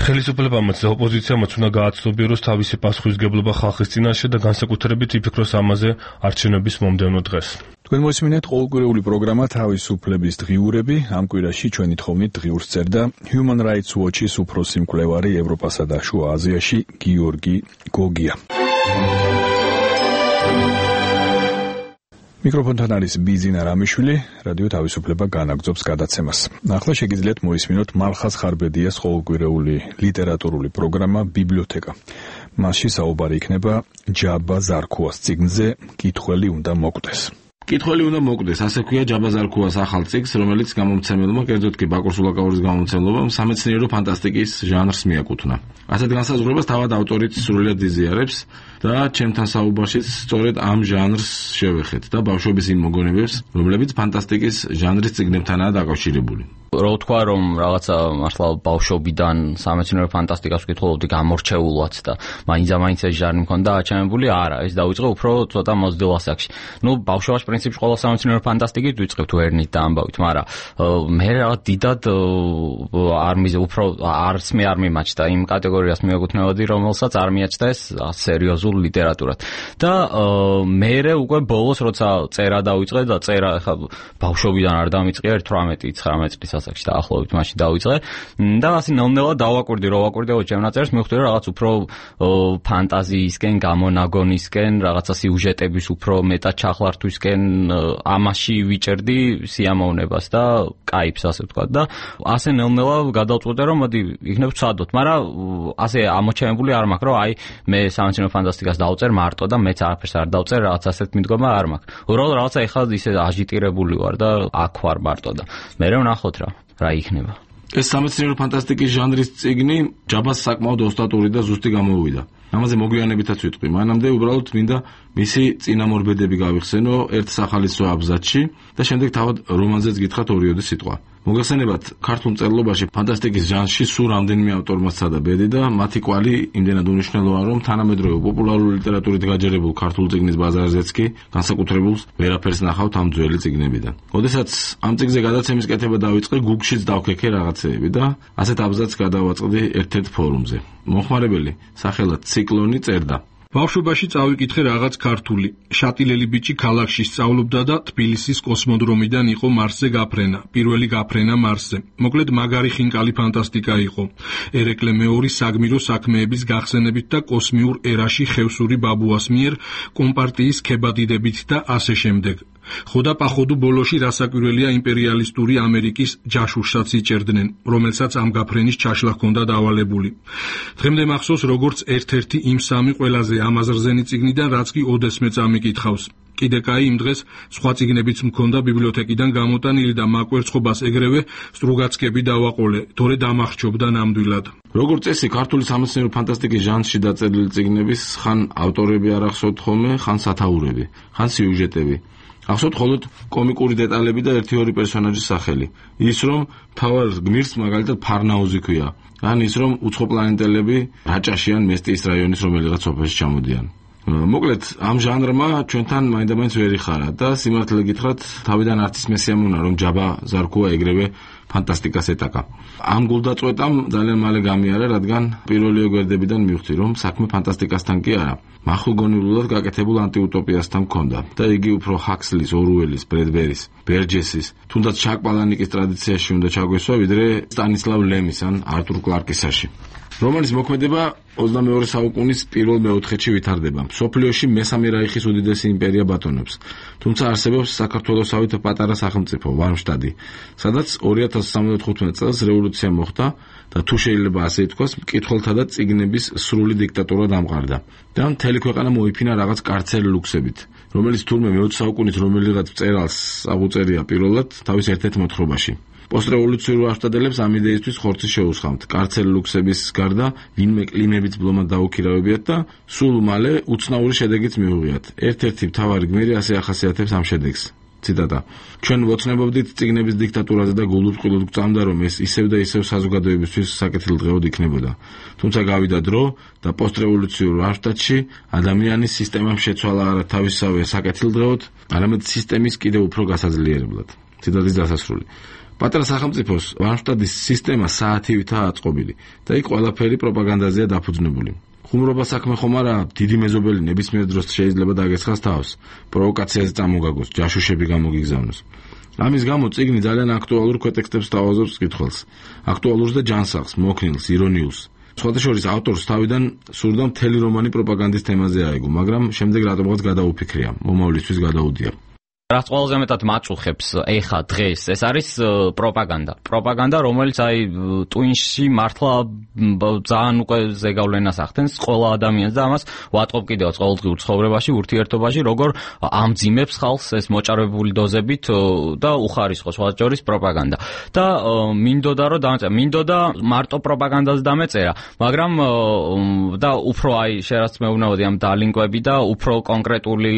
ხელისუფლებამაც და ოპოზიციამაც უნდა გააცნობიეროს თავისი პასუხისგებლობა ხალხის წინაშე და განსაკუთრებით იფიქროს ამაზე არჩევნების მომდევნო დღეს. თქვენ მოსმინეთ ყოველკვირეული პროგრამა თავისუფლების დღიურები. ამ კვირაში ჩვენი თხოვნით დღიურს წერდა Human Rights Watch-ის უფროსი მკვლევარი ევროპასა და შუა აზიაში გიორგი გოგია. მიკროფონთან არის ბიზინა რამიშვილი, რადიო თავისუფლება განაგრძობს გადაცემას. ახლა შეგიძლიათ მოისმინოთ მალხაზ ხარბედიას ყოველკვირეული ლიტერატურული პროგრამა ბიბლიოთეკა. მასში საუბარი იქნება ჯაბა ზარქუას წიგნზე კითხველი უნდა მოკვდეს. კითხველი უნდა მოკვდეს, ასე ქვია ჯაბა ზარქუას ახალ წიგნს, რომელიც გამომცემელმა, კერძოდ კი ბაკურ სულაკაურის გამომცემლობამ სამეცნიერო ფანტასტიკის ჟანრს მიაკუთვნა. ასეთ განსაზღვრებას თავად ავტორიც სრულიად იზიარებს და ჩემთან საუბარშიც სწორედ ამ ჟანრს შევეხეთ და ბავშვების იმ მოგონებებს, რომლებიც ფანტასტიკის ჟანრის წიგნებთანაა დაკავშირებული. რო თქვა რომ რაღაცა მართლა ბავშვობიდან სამეცნიერო ფანტასტიკას ვკითხულობდი გამორჩეულად და მაინც ეს ჟანრი მქონდა აჩვენებული, არა, ეს დაიწყო უფრო ცოტა მოზრდილ ასაკში. ბავშვობაში პრინციპში ყველა სამეცნიერო ფანტასტიკით ვიწყებთ ვერნით და ამბავით, მაგრამ მე რაღაც დიდად უფრო არც მე არ მიმაჩნდა იმ კატეგორიას მიეკუთვნებოდი, რომელსაც არ მიაჩნდა ეს სერიოზულ ლიტერატურად. და მე უკვე ბოლოს როცა წერა დავიწყე და წერა ხა ბავშვობიდან არ დამიწყია 18-19 წლის ასაკში დაახლოებით მაშინ დავიწყე და ასე ნელ-ნელა დავაკვირდი ჩემ ნაწერს, მივხვდი რომ რაღაც უფრო ფანტაზიისკენ, გამონაგონისკენ, რაღაცა სიუჟეტების უფრო მეტად ჩახლართვისკენ ამაში ვიჭერდი სიამოვნებას და კაიფს, ასე ვთქვათ და ასე ნელ-ნელა გადავწყვიტე რომ მოდი იქნებ ვცადოთ, მაგრამ ასე ამოჩენებული არ მაქვს რომ აი მე სამეცნიერო ფანტასტიკას დავწერ მარტო და მეც არაფერს არ დავწერ, რაღაც ასეთ მიდგომა არ მაქვს. უბრალოდ რაღაცა ეხლა ისე აჟიტირებული ვარ და აქ ვარ მარტო და მე ვნახოთ რა იქნება. ეს სამეცნიერო ფანტასტიკის ჟანრის წიგნი ჯაბას საკმაოდ ოსტატური და ზუსტი გამოუვიდა. ამაზე მოგვიანებითაც ვიტყვი. მანამდე უბრალოდ მინდა მისი წინამორბედები გავიხსენო ერთ სახალისო აბზაცში და შემდეგ თავად რომანზეც გითხრათ 2 სიტყვა. მოგეხსენებათ, ქართულ მწერლობაში ფანტასტიკის ჟანრში სულ რამდენიმე ავტორმა სცადა ბედი და მათი კვალი იმდენად უნიშნელოა, რომ თანამედროვე პოპულარული ლიტერატურით გაჯერებულ ქართულ წიგნის ბაზარზეც კი განსაკუთრებულს ვერაფერს ნახავთ ამ ძველი წიგნებიდან. როდესაც ამ წიგნზე გადაცემის კეთება დავიწყე, Google-შიც დავქექე რაღაცეები და ასეთ აბზაცს გადავაწყდი ერთ-ერთ ფორუმზე. მომხმარებელი სახელად ციკლონი წერდა: ბავშვობაში წავიკითხე რაღაც ქართული. შატილელი ბიჭი ქალაქში სწავლობდა და თბილისის კოსმოდრომიდან იყო მარსზე გაფრენა. პირველი გაფრენა მარსზე. მოკლედ მაგარი ხინკალი ფანტასტიკა იყო. ერეკლე მეორე საგმირო საქმეების გახსენებით და კოსმიურ ერაში ხევსური ბაბუას მიერ კომპარტიის ქებადიდებით და ასე შემდეგ. ხოდა პახოდუ ბოლოში რასაკვირველია იმპერიალისტური ამერიკის ჯაშუშსაც იჭერდნენ, რომელსაც ამ გაფრენის ჩაშლა ჰქონდა დავალებული. დღემდე მახსოვს, როგორც ერთ-ერთი იმ 3 ყველაზე ამაზრზენი წიგნიდან, რაც კი ოდესმე წამიკითხავს. კიდე კაი იმ დღეს სხვა წიგნებიც მქონდა ბიბლიოთეკიდან გამოტანილი და მაკვერცხობას ეგრევე სტრუგაცკები დავაყოლე, თორე დამახჩობდა ნამდვილად. როგორც წესი, ქართული სამეცნიერო ფანტასტიკის ჟანრში დაწერილი წიგნების ხან ავტორები არ ახსოვთ ხოლმე, ხან სათაურები, ხან სიუჟეტები. ახსოვთ მხოლოდ კომიკური დეტალები და 1-2 პერსონაჟის სახელი. ის რომ მთავარ გმირს მაგალითად ფარნაუზი ქვია, ან ის რომ უცხოპლანეტელები რაჭაში ან მესტიის რაიონის რომელიღაც სოფელში ჩამოდიან. მოკლედ, ამ ჟანრმა ჩვენთან მაინდამაინც ვერ იხარა და სიმართლე გითხრათ, თავიდან არც ის მესიამონა, რომ ჯაბა ზარქუა ეგრევე ფანტასტიკას ეტაკა. ამ გულდაწყვეტამ ძალიან მალე გამიარა, რადგან პირველი გვერდებიდან მივხვდი, რომ საქმე ფანტასტიკასთან კი არა, მახვილგონივლულად გაკეთებულ ანტიუტოპიასთან მქონდა და იგი უფრო ჰაქსლის, ორუელის, ბრედბერის, ბერჯესის, თუნდაც ჩაკ პალანიკის ტრადიციაში უნდა ჩაგვესვა, ვიდრე სტანისლავ ლემის ან არტურ კლარკისაში. რომანის მოქმედება 22 საუკუნის პირველ მეოთხედში ვითარდება. მსოფლიოში მესამე რაიხის უდიდესი იმპერია ბატონობს. თუმცა არსებობს საქართველოსავით პატარა სახელმწიფო ვარმშტადი, სადაც 2075 წელს რევოლუცია მოხდა და თუ შეიძლება ასე ითქვას, მკითხველთა და წიგნების სრული დიქტატურა დამყარდა. და მთელი ქვეყანა მოიფინა რაღაც კარცერ ლუქსებით, რომელიც თურმე მე-20 საუკუნის რომელიღაც მწერალს აღუწერია პირველად თავის ერთ-ერთ მოთხრობაში. პოსტრევოლუციურ ვარშტადელებს ამ იდეისთვის ხორცი შეუსხამთ. კარცერ ლუქსების გარდა ვინმე კლიმებით ბლომად დაუქირავებიათ და სულ მალე უცნაური შედეგიც მიუღიათ. ერთ-ერთი მთავარი გმირი ასე ახასიათებს ამ შედეგს. ციტატა: ჩვენ ვოცნებობდით წიგნების დიქტატურაზე და გულუბრყვილოდ გვწამდა, რომ ეს ისევ და ისევ საზოგადოებისთვის საკეთილდღეოდ იქნებოდა. თუმცა გავიდა დრო და პოსტრევოლუციურ ვარშტადში ადამიანის სისტემამ შეცვალა არა თავისსავე საკეთილდღეოდ, არამედ სისტემის კიდევ უფრო გასაძლიერებლად. ციტატის დასასრული. პატარა სახელმწიფოს ვარშტადის სისტემა საათივითაა აწყობილი და იქ ყველაფერი პროპაგანდაზეა დაფუძნებული. ხუმრობა საქმე ხომ არა, დიდი მეზობელი ნებისმიერ დროს შეიძლება დაგესხას თავს, პროვოკაციაზე წამოგაგოს, ჯაშუშები გამოგიგზავნოს. ამის გამო წიგნი ძალიან აქტუალურ ქვეტექსტებს თავაზობს მკითხველს, აქტუალურს და ჯანსაღს, მოქნილს, ირონიულს. სხვადასხვა ავტორს თავიდან სურდა მთელი რომანი პროპაგანდის თემაზე აიგო, მაგრამ შემდეგ რატომღაც გადაუფიქრია, მომავლისთვის გადაუდია. რაც ყველაზე მეტად მაჭუხებს ეხა დღეს ეს არის პროპაგანდა. პროპაგანდა, რომელიც აი ტვინში მართლა ძალიან უკვე ზეგავლენას ახდენს ყველა ადამიანს და ამას ვატყობ კიდევაც ყოველდღიურ ცხოვრებაში, ურთიერთობაში, როგორ ამძიმებს ხალხს ეს მოჭარბებული დოზებით და უხარისხოს სხვაჯორის პროპაგანდა. და მინდოდა რომ დამეწერა, მინდოდა მარტო პროპაგანდას დამეწერა, მაგრამ და უფრო აი შერაც მეუბნებოდი ამ დალინკვები და უფრო კონკრეტული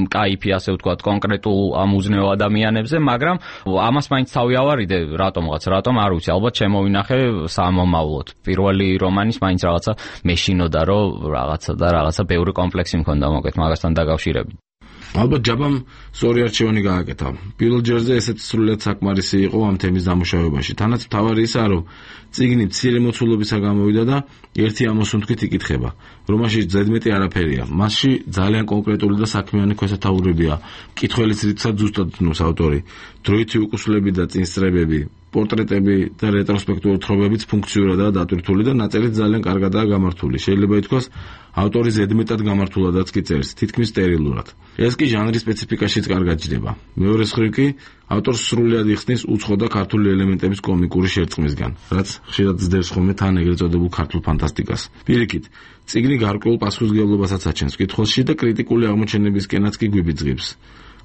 კაიფი ასე ვთქვათ, კონკრეტულ ამ უზნეო ადამიანებზე, მაგრამ ამას მაინც თავი ავარიდე რატომღაც, რატომ არ ვიცი, ალბათ შემოვინახე სამომავლოდ. პირველი რომანის მაინც რაღაცა მეშინოდა, რომ რაღაცა ბევრი კომპლექსი მქონდა მოკეთ მაგასთან დაკავშირებით. ალბათ ჯაბამ სწორი არჩევანი გააკეთა. პირველ ჯერზე ესეც სრულიად საკმარისი იყო ამ თემის დამუშავებაში. თანაც მთავარი ისაა, რომ წიგნი მცირე მოცულობისა გამოვიდა და ერთი ამოსუნთქვით იკითხება. რომაში ზედმეტი არაფერია. მასში ძალიან კონკრეტული და საქმიანი ქვესათაურებია. მკითხველის რიცხვად ზუსტად ცნობს ავტორი. დროითი უკუსლები და წინსწრებები, პორტრეტები და რეტროსპექტიული თხრობებიც ფუნქციურადაა დატვირთული და ნაწერით ძალიან კარგადაა გამართული. შეიძლება ითქვას, ავტორი ზედმეტად გამართულადაც კი წერს, თითქმის სტერილურად. ეს კი ჟანრის სპეციფიკაშიც კარგად ჯდება. მეორე მხრივ კი ავტორს სრულად იხსნის უცხო და ქართული ელემენტების კომიკური შერწყმისგან, რაც ხშირად ზდევს ხოლმე თან ეგრეთ წოდებულ ქართულ ფანტასტიკას. პირიქით, წიგნი გარკვეულ პასუხისმგებლობასაც აჩენს მკითხველში და კრიტიკული აღმოჩენებისკენაც კი გვიბიძღებს.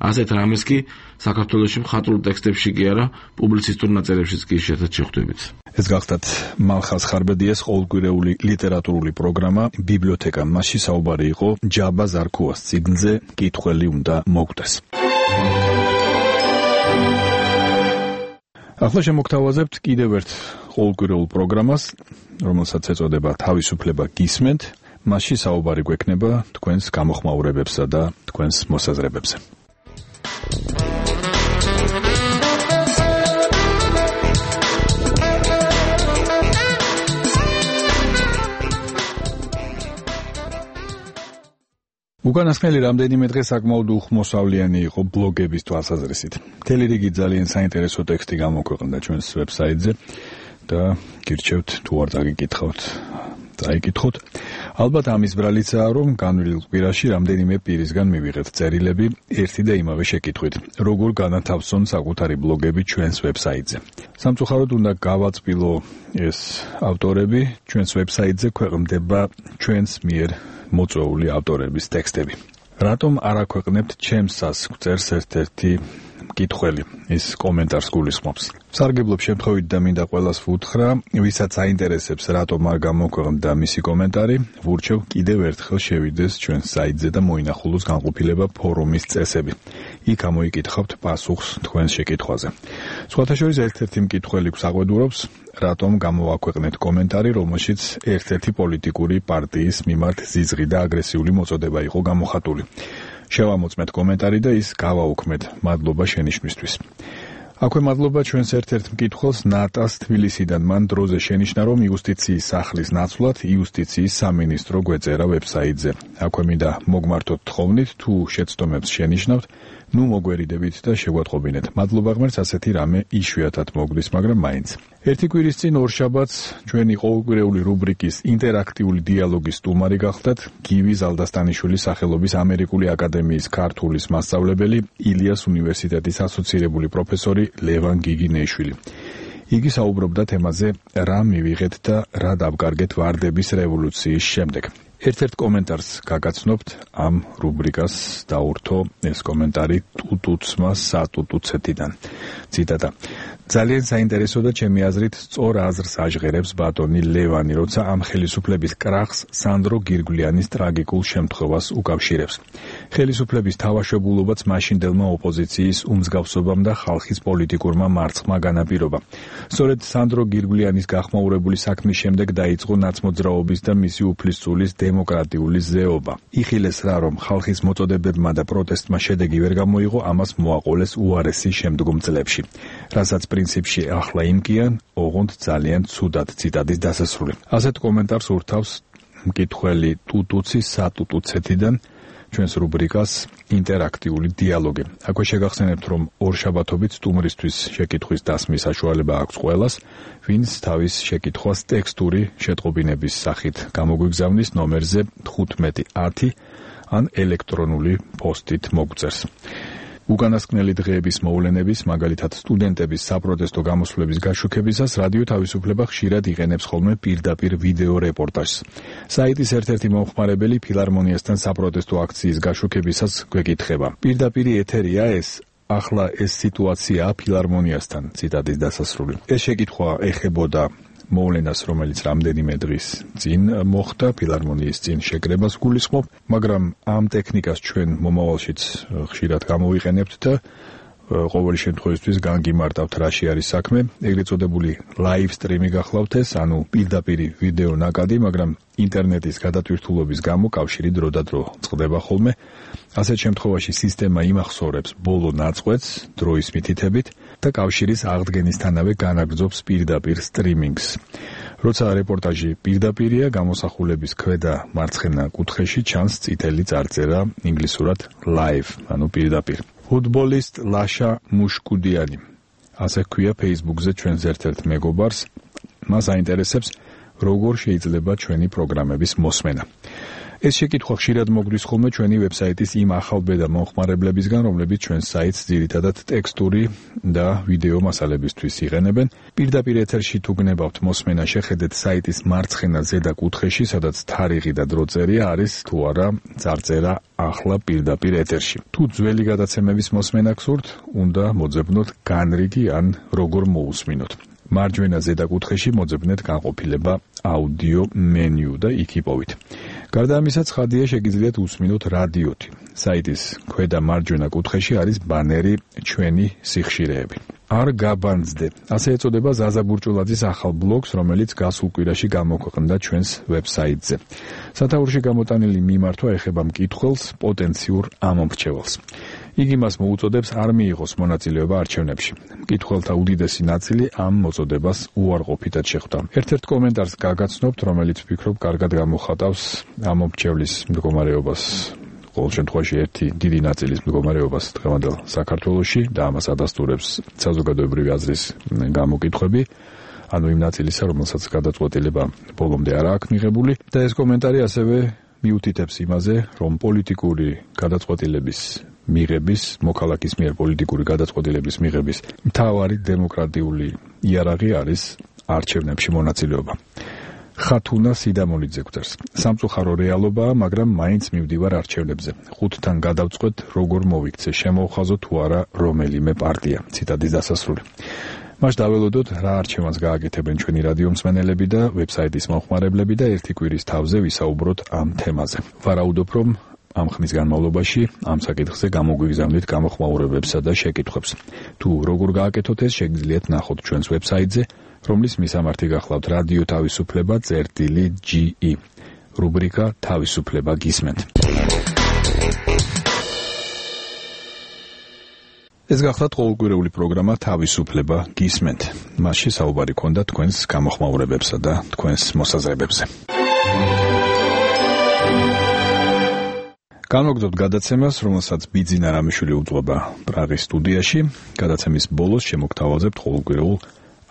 ასეთ რამეს კი საქართველოში მხატვრულ ტექსტებში კი არა, პუბლიცისტურ ნაწერებშიც კი შეხედეთ შეხვდებით. ეს გახდათ მალხაზ ხარბედიას ყოველკვირეული ლიტერატურული პროგრამა ბიბლიოთეკა. მასში საუბარი იყო ჯაბა ზარქუას წიგნზე კითხველი უნდა მოგდეს. ახლა შემოგთავაზებთ კიდევ ერთ ყოველკვირეულ პროგრამას, რომელსაც ეწოდება თავისუფლება გისმენთ. მასში საუბარი გვექნება თქვენს გამოხმაურებებსა და თქვენს მოსაზრებებზე. უკანასკნელი რამდენიმე დღე საკმაოდ უხმოსავლიანი იყო ბლოგების თვალსაზრისით. მთელი რიგი ძალიან საინტერესო ტექსტი გამოქვეყნდა ჩვენს ვებსაიტზე და გირჩევთ თუ არ დაგიკითხავთ, დაიკითხოთ. ალბათ ამის ბრალიცაა, რომ განვლილ კვირაში რამდენიმე პირისგან მივიღეთ წერილები ერთი და იმავე შეკითხვით, როგორ განათავსონ საკუთარი ბლოგები ჩვენს ვებსაიტზე. სამწუხაროდ უნდა გავაწყვილო ეს ავტორები, ჩვენს ვებსაიტზე ქვეყნდება ჩვენს მიერ მოწვეული ავტორების ტექსტები. რატომ არ აქვეყნებთ ჩემს წერს ერთ-ერთი მკითხველი, ის კომენტარს გულისხმობს. სარგებლობ შემთხვევით და მინდა ყველას ვუთხრა, ვისაც აინტერესებს რატომ არ გამოქვეყნდა მისი კომენტარი, ვურჩევ კიდევ ერთხელ შევიდეს ჩვენს საიტზე და მოინახულოს განყოფილება ფორუმის წესები. იქ ამოიკითხავთ პასუხს თქვენს შეკითხვაზე. სხვათა შორის ერთ-ერთი მკითხველი გვსაყვედურობს, რატომ გამოაქვეყნეთ კომენტარი, რომელშიც ერთ-ერთი პოლიტიკური პარტიის მიმართ ზიზღი და აგრესიული მოწოდება იყო გამოხატული. შევამოწმეთ კომენტარი და ის გავაუქმეთ მადლობა შენიშვნისთვის. აქვე მადლობა ჩვენს ერთ-ერთ მკითხველს ნატას თბილისიდან. მან დროზე შენიშნა, რომ იუსტიციის სახლის ნაცვლად იუსტიციის სამინისტრო გვეწერა ვებსაიტზე. აქვე მინდა მოგმართოთ თხოვნით, თუ შეცდომებს შენიშნავთ, ნუ მოგვერიდებით და შეგვატყობინეთ. მადლობა ღმერთს, ასეთი რამე იშვიათად მოგდის, მაგრამ მაინც. ერთი კვირის წინ ორშაბათს ჩვენი ყოველკვირეული რუბრიკის ინტერაქტიული დიალოგის სტუმარი გახდათ გივი ზალდასტანიშვილის სახელობის ამერიკული აკადემიის ქართულის მასწავლებელი, ილიას უნივერსიტეტის ასოცირებული პროფესორი ლევან გიგინეიშვილი. იგი საუბრობდა თემაზე, რა მივიღეთ და რა დავკარგეთ ვარდების რევოლუციის შემდეგ. ერთ-ერთ კომენტარს გაგაცნობთ ამ რუბრიკას დაურთო ეს კომენტარი ტუტუცმა სატუტუცეთიდან. ციტატა: ძალიან საინტერესო და ჩემი აზრით სწორ აზრს აჟღერებს ბატონი ლევანი, როცა ამ ხელისუფლების კრახს სანდრო გირგვლიანის ტრაგიკულ შემთხვევას უკავშირებს. ხელისუფლების თავშებულობაც მაშინდელმა ოპოზიციის უმსგავსობამ და ხალხის პოლიტიკურმა მარცხმა განაპირობა. სწორედ სანდრო გირგვლიანის გახმაურებული საქმის შემდეგ დაიწყო ნაცმოძრაობის და მისი უფლისწულის დემოკრატიული ზეობა. იხილეს რა, რომ ხალხის მოწოდებებმა და პროტესტმა შედეგი ვერ გამოიღო, ამას მოაყოლეს უარესი შემდგომ წლებში. რასაც პრინციპში ახლა იმკიან, ოღონდ ძალიან ცუდად. ციტატის დასასრული. ასეთ კომენტარს ურთავს მკითხველი ტუტუცი სატუტუცეთიდან ჩვენს რუბრიკას ინტერაქტიული დიალოგი. აქვე შეგახსენებთ, რომ ორშაბათობით სტუმრისთვის შეკითხვის დასმის საშუალება აქვს ყველას, ვინც თავის შეკითხვას ტექსტური შეტყობინების სახით გამოგვიგზავნის ნომერზე 1510 ან ელექტრონული პოსტით მოგწერს. უკანასკნელი დღეების მოვლენების, მაგალითად სტუდენტების საპროტესტო გამოსვლების გაშუქებისას რადიო თავისუფლება ხშირად იყენებს ხოლმე პირდაპირ ვიდეო რეპორტაჟს. საიტის ერთ-ერთი მომხმარებელი ფილარმონიასთან საპროტესტო აქციის გაშუქებისას გვეკითხება: პირდაპირ ეთერია ეს? ახლა ეს სიტუაციაა ფილარმონიასთან. ციტატის დასასრული. ეს შეკითხვა ეხებოდა მოვლენას, რომელიც რამდენიმე დღის წინ მოხდა, ფილარმონიის წინ შეკრებას გულისხმობ, მაგრამ ამ ტექნიკას ჩვენ მომავალშიც ხშირად გამოვიყენებთ და ყოველი შემთხვევისთვის განგიმარტავთ რაში არის საქმე. ეგრეთ წოდებული ლაივ სტრიმი გახლავთ ეს, ანუ პირდაპირ ვიდეო ნაკადი, მაგრამ ინტერნეტის გადატვირთულობის გამო კავშირი დროდადრო წყდება ხოლმე. ასეთ შემთხვევაში სისტემა იმახსოვრებს ბოლო ნაწყვეტს დროის მითითებით და კავშირის აღდგენისთანავე განაგრძობს პირდაპირ სტრიმინგს. როცა რეპორტაჟი პირდაპირია, გამოსახულების ქვედა მარცხენა კუთხეში ჩანს წითელი წარწერა ინგლისურად live, ანუ პირდაპირ. ფუტბოლისტ ლაშა მუშკუდიანი, ასე ქვია Facebook-ზე ჩვენს ერთ-ერთ მეგობარს. მას აინტერესებს, როგორ შეიძლება ჩვენი პროგრამების მოსმენა. ეს შეკითხვა ხშირად მოგვდის ხოლმე ჩვენი ვებსაიტის იმ ახალბედა მომხმარებლებისგან, რომლებიც ჩვენს საიტს ძირითადად ტექსტური და ვიდეო მასალებისთვის იყენებენ. პირდაპირ ეთერში თუ გნებავთ მოსმენა, შეხედეთ საიტის მარცხენა ზედა კუთხეში, სადაც თარიღი და დროწერია არის თუ არა წარწერა ახლა პირდაპირ ეთერში. თუ ძველი გადაცემების მოსმენა გსურთ, უნდა მოძებნოთ განრიგი ან როგორ მოусმინოთ. მარჯვენა ზედა კუთხეში მოძებნეთ განყოფილება აუდიო მენიუ და იქ იპოვით. გარდა ამისა, ცხადია შეგიძლიათ უსმინოთ რადიოთი. საიტის ქვედა მარჯვენა კუთხეში არის ბანერი ჩვენი სიხშირეები. არ გაბანძდე. ასე ეწოდება ზაზა ბურჭულაძის ახალ ბლოგს, რომელიც გასულ კვირაში გამოქვეყნდა ჩვენს ვებსაიტზე. სათაურში გამოტანილი მიმართვა ეხება მკითხველს, პოტენციურ ამომრჩეველს. იგი მას მოუწოდებს არ მიიღოს მონაწილეობა არჩევნებში. მკითხველთა უდიდესი ნაწილი ამ მოწოდებას უარყოფითად შეხვდა. ერთ-ერთ კომენტარს გაგაცნობთ, რომელიც ვფიქრობ კარგად გამოხატავს ამომრჩევლის მდგომარეობას. ყოველ შემთხვევაში ერთი დიდი ნაწილის მდგომარეობას დღევანდელ საქართველოში და ამას ადასტურებს საზოგადოებრივი აზრის გამოკითხვები, ანუ იმ ნაწილისა, რომელსაც გადაწყვეტილება ბოლომდე არ აქვს მიღებული და ეს კომენტარი ასევე მიუთითებს იმაზე, რომ პოლიტიკური გადაწყვეტილების მიღების, მოქალაქის მიერ პოლიტიკური გადაწყვეტილების მიღების მთავარი დემოკრატიული იარაღი არის არჩევნებში მონაწილეობა. ხათუნა სიდამონიძე გვწერს. სამწუხარო რეალობაა, მაგრამ მაინც მივდივარ არჩევნებზე. ხუთთან გადავწყვეტ, როგორ მოვიქცე, შემოვხაზო თუ არა რომელიმე პარტია. ციტატის დასასრული. მას დაველოდოთ, რა არჩევანს გააკეთებენ ჩვენი რადიო მსმენელები და ვებსაიტის მომხმარებლები და ერთი კვირის თავზე ვისაუბროთ ამ თემაზე. ვარაუდობ, რომ ამ ხნის განმავლობაში ამ საკითხზე გამოგვიგზავნით გამოხმაურებებსა და შეკითხვებს. თუ როგორ გააკეთოთ ეს, შეგიძლიათ ნახოთ ჩვენს ვებსაიტზე, რომლის მისამართი გახლავთ რადიო თავისუფლება წერტილი.ge. რუბრიკა თავისუფლება გისმენთ. ეს გახლავთ ყოველკვირეული პროგრამა თავისუფლება გისმენთ. მასში საუბარი ქონდა თქვენს გამოხმაურებებსა და თქვენს მოსაზრებებზე. განვაგრძობთ გადაცემას, რომელსაც ბიძინა რამიშვილი უძღვება პრაღის სტუდიაში. გადაცემის ბოლოს შემოგთავაზებთ ყოველკვირეულ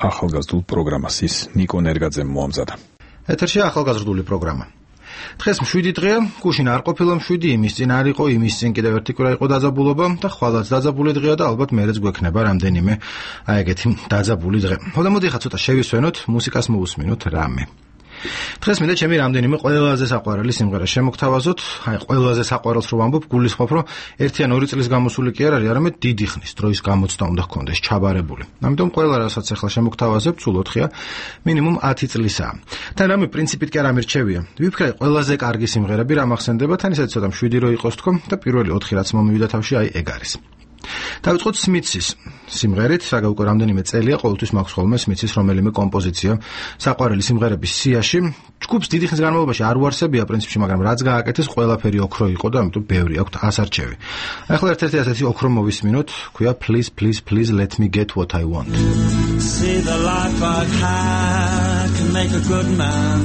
ახალგაზრდულ პროგრამას. ის ნიკო ნერგაძემ მოამზადა. ეთერში ახალგაზრდული პროგრამა. დღეს 7 დღეა, გუშინ არ ყოფილა 7, იმის წინ არ იყო, იმის წინ კიდევ ერთი კვირა იყო დაძაბულობა და ხვალაც დაძაბული დღეა და ალბათ მერეც გვექნება რამდენიმე აი ეგეთი დაძაბული დღე. ხოდა მოდი ხა ცოტა შევისვენოთ, მუსიკას მოусმინოთ რამე. დღეს მინდა ჩემი რამდენიმე ყველაზე საყვარელი სიმღერა შემოგთავაზოთ. აი ყველაზე საყვარელს რო ვამბობ, გულისხმობ, რომ 1 ან 2 წლის გამოსული კი არ არის, არამედ დიდი ხნის დროის გამოცდა უნდა ჰქონდეს ჩაბარებული. ამიტომ ყველა რასაც ახლა შემოგთავაზებ, სულ 4-ია, მინიმუმ 10 წლისაა. თან რამე პრინციპით კი არ ამირჩევია. ვიფიქრე ყველაზე კარგი სიმღერები რა მახსენდება, თან ისეთ ცოტა 7 რო იყოს თქო და პირველი 4 რაც მომივიდა თავში, აი ეგ არის. დავიწყოთ სმიცის სიმღერით, რა უკვე რამდენიმე წელია ყოველთვის მაქვს ხოლმე სმიცის რომელიმე კომპოზიცია საყვარელი სიმღერების სიაში. ჯგუფს დიდი ხნის განმავლობაში არ უარსებია პრინციპში, მაგრამ რაც გააკეთეს, ყველაფერი ოქრო იყო და ამიტომ ბევრი აქვთ ასარჩევი. ახლა ერთ-ერთი ასეთი ოქრო მოვისმინოთ, ქვია Please Please Please Let Me Get What I Want. See the life I had can make a good man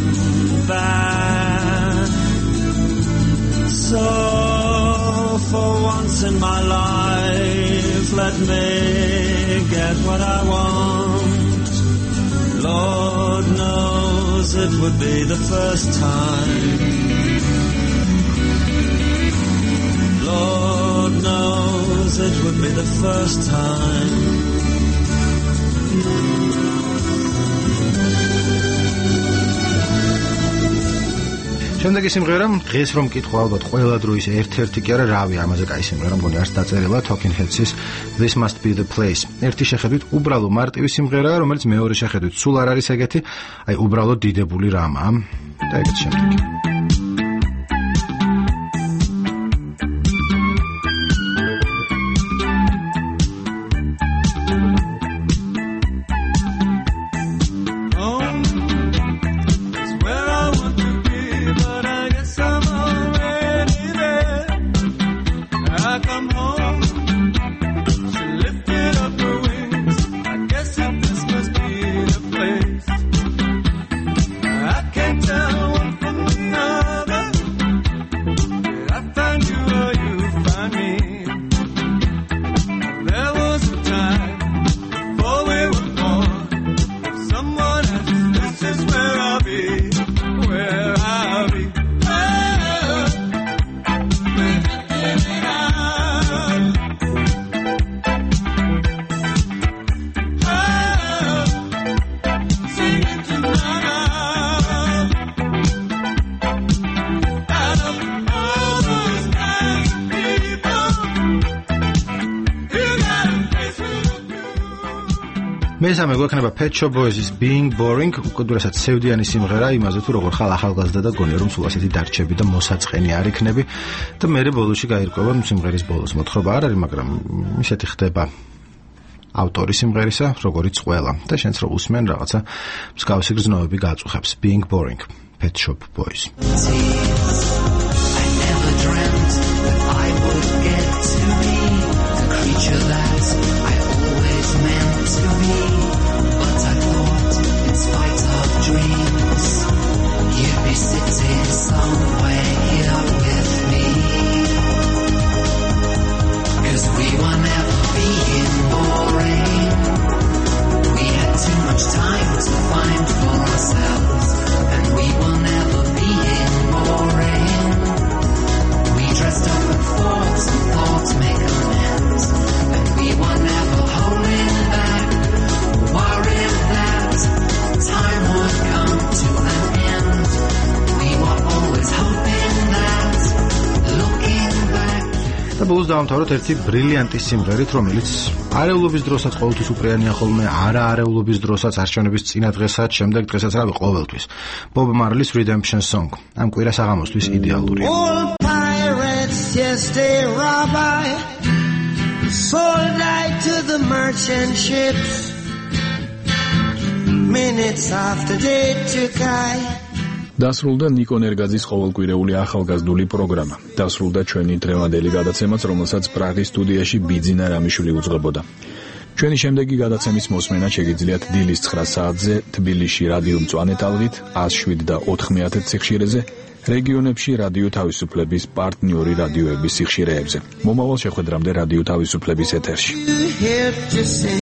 bad. So for once in my life, let me get what I want. Lord knows it would be the first time. Lord knows it would be the first time. შემდეგი სიმღერა, დღეს რომ მკითხვა ალბათ ყველა დროის ერთ-ერთი კი არა, რავი, ამაზე კაი სიმღერა მგონი არც დაწერილა, Talking Heads-ის This Must Be The Place. ერთი შეხედვით უბრალო მარტივი სიმღერაა, რომელიც მეორე შეხედვით სულ არ არის ეგეთი, აი უბრალო დიდებული რამაა და ეგეთ შემდეგი. I can't tell one from the other. მესამე გვექნება Pet Shop Boys-ის Being Boring, უკიდურესად სევდიანი სიმღერა იმაზე თუ როგორ ხარ ახალგაზრდა და გონია რომ სულ ასეთი დარჩები და მოსაწყენი არ იქნები და მერე ბოლოში გაირკვევა სიმღერის ბოლოს მოთხრობა არ არის, მაგრამ ისეთი ხდება ავტორი სიმღერისა, როგორიც ყველა და შენც რო უსმენ რაღაცა მსგავსი გრძნობები გაწუხებს. Being Boring, Pet Shop Boys. ბოლოს დავამთავროთ ერთი ბრილიანტი სიმღერით, რომელიც არეულობის დროსაც ყოველთვის უპრიანია ხოლმე, არაარეულობის დროსაც, არჩევნების წინა დღესაც, შემდეგ დღესაც, რავი, ყოველთვის. Bob Marley's Redemption Song. ამ კვირას აღამოსთვის იდეალურია. All pirates just a rabbi sold out to the merchant ships minutes after they took I დასრულდა ნიკო ნერგაძის ყოველკვირეული ახალგაზრდული პროგრამა. დასრულდა ჩვენი დღევანდელი გადაცემაც, რომელსაც პრაღის სტუდიაში ბიძინა რამიშვილი უძღვებოდა. ჩვენი შემდეგი გადაცემის მოსმენა შეგიძლიათ დილის 9 საათზე თბილისში რადიო მწვანე ტალღით 107 და 90 სიხშირეზე, რეგიონებში რადიო თავისუფლების პარტნიორი რადიოების სიხშირეებზე. მომავალ შეხვედრამდე რადიო თავისუფლების ეთერში.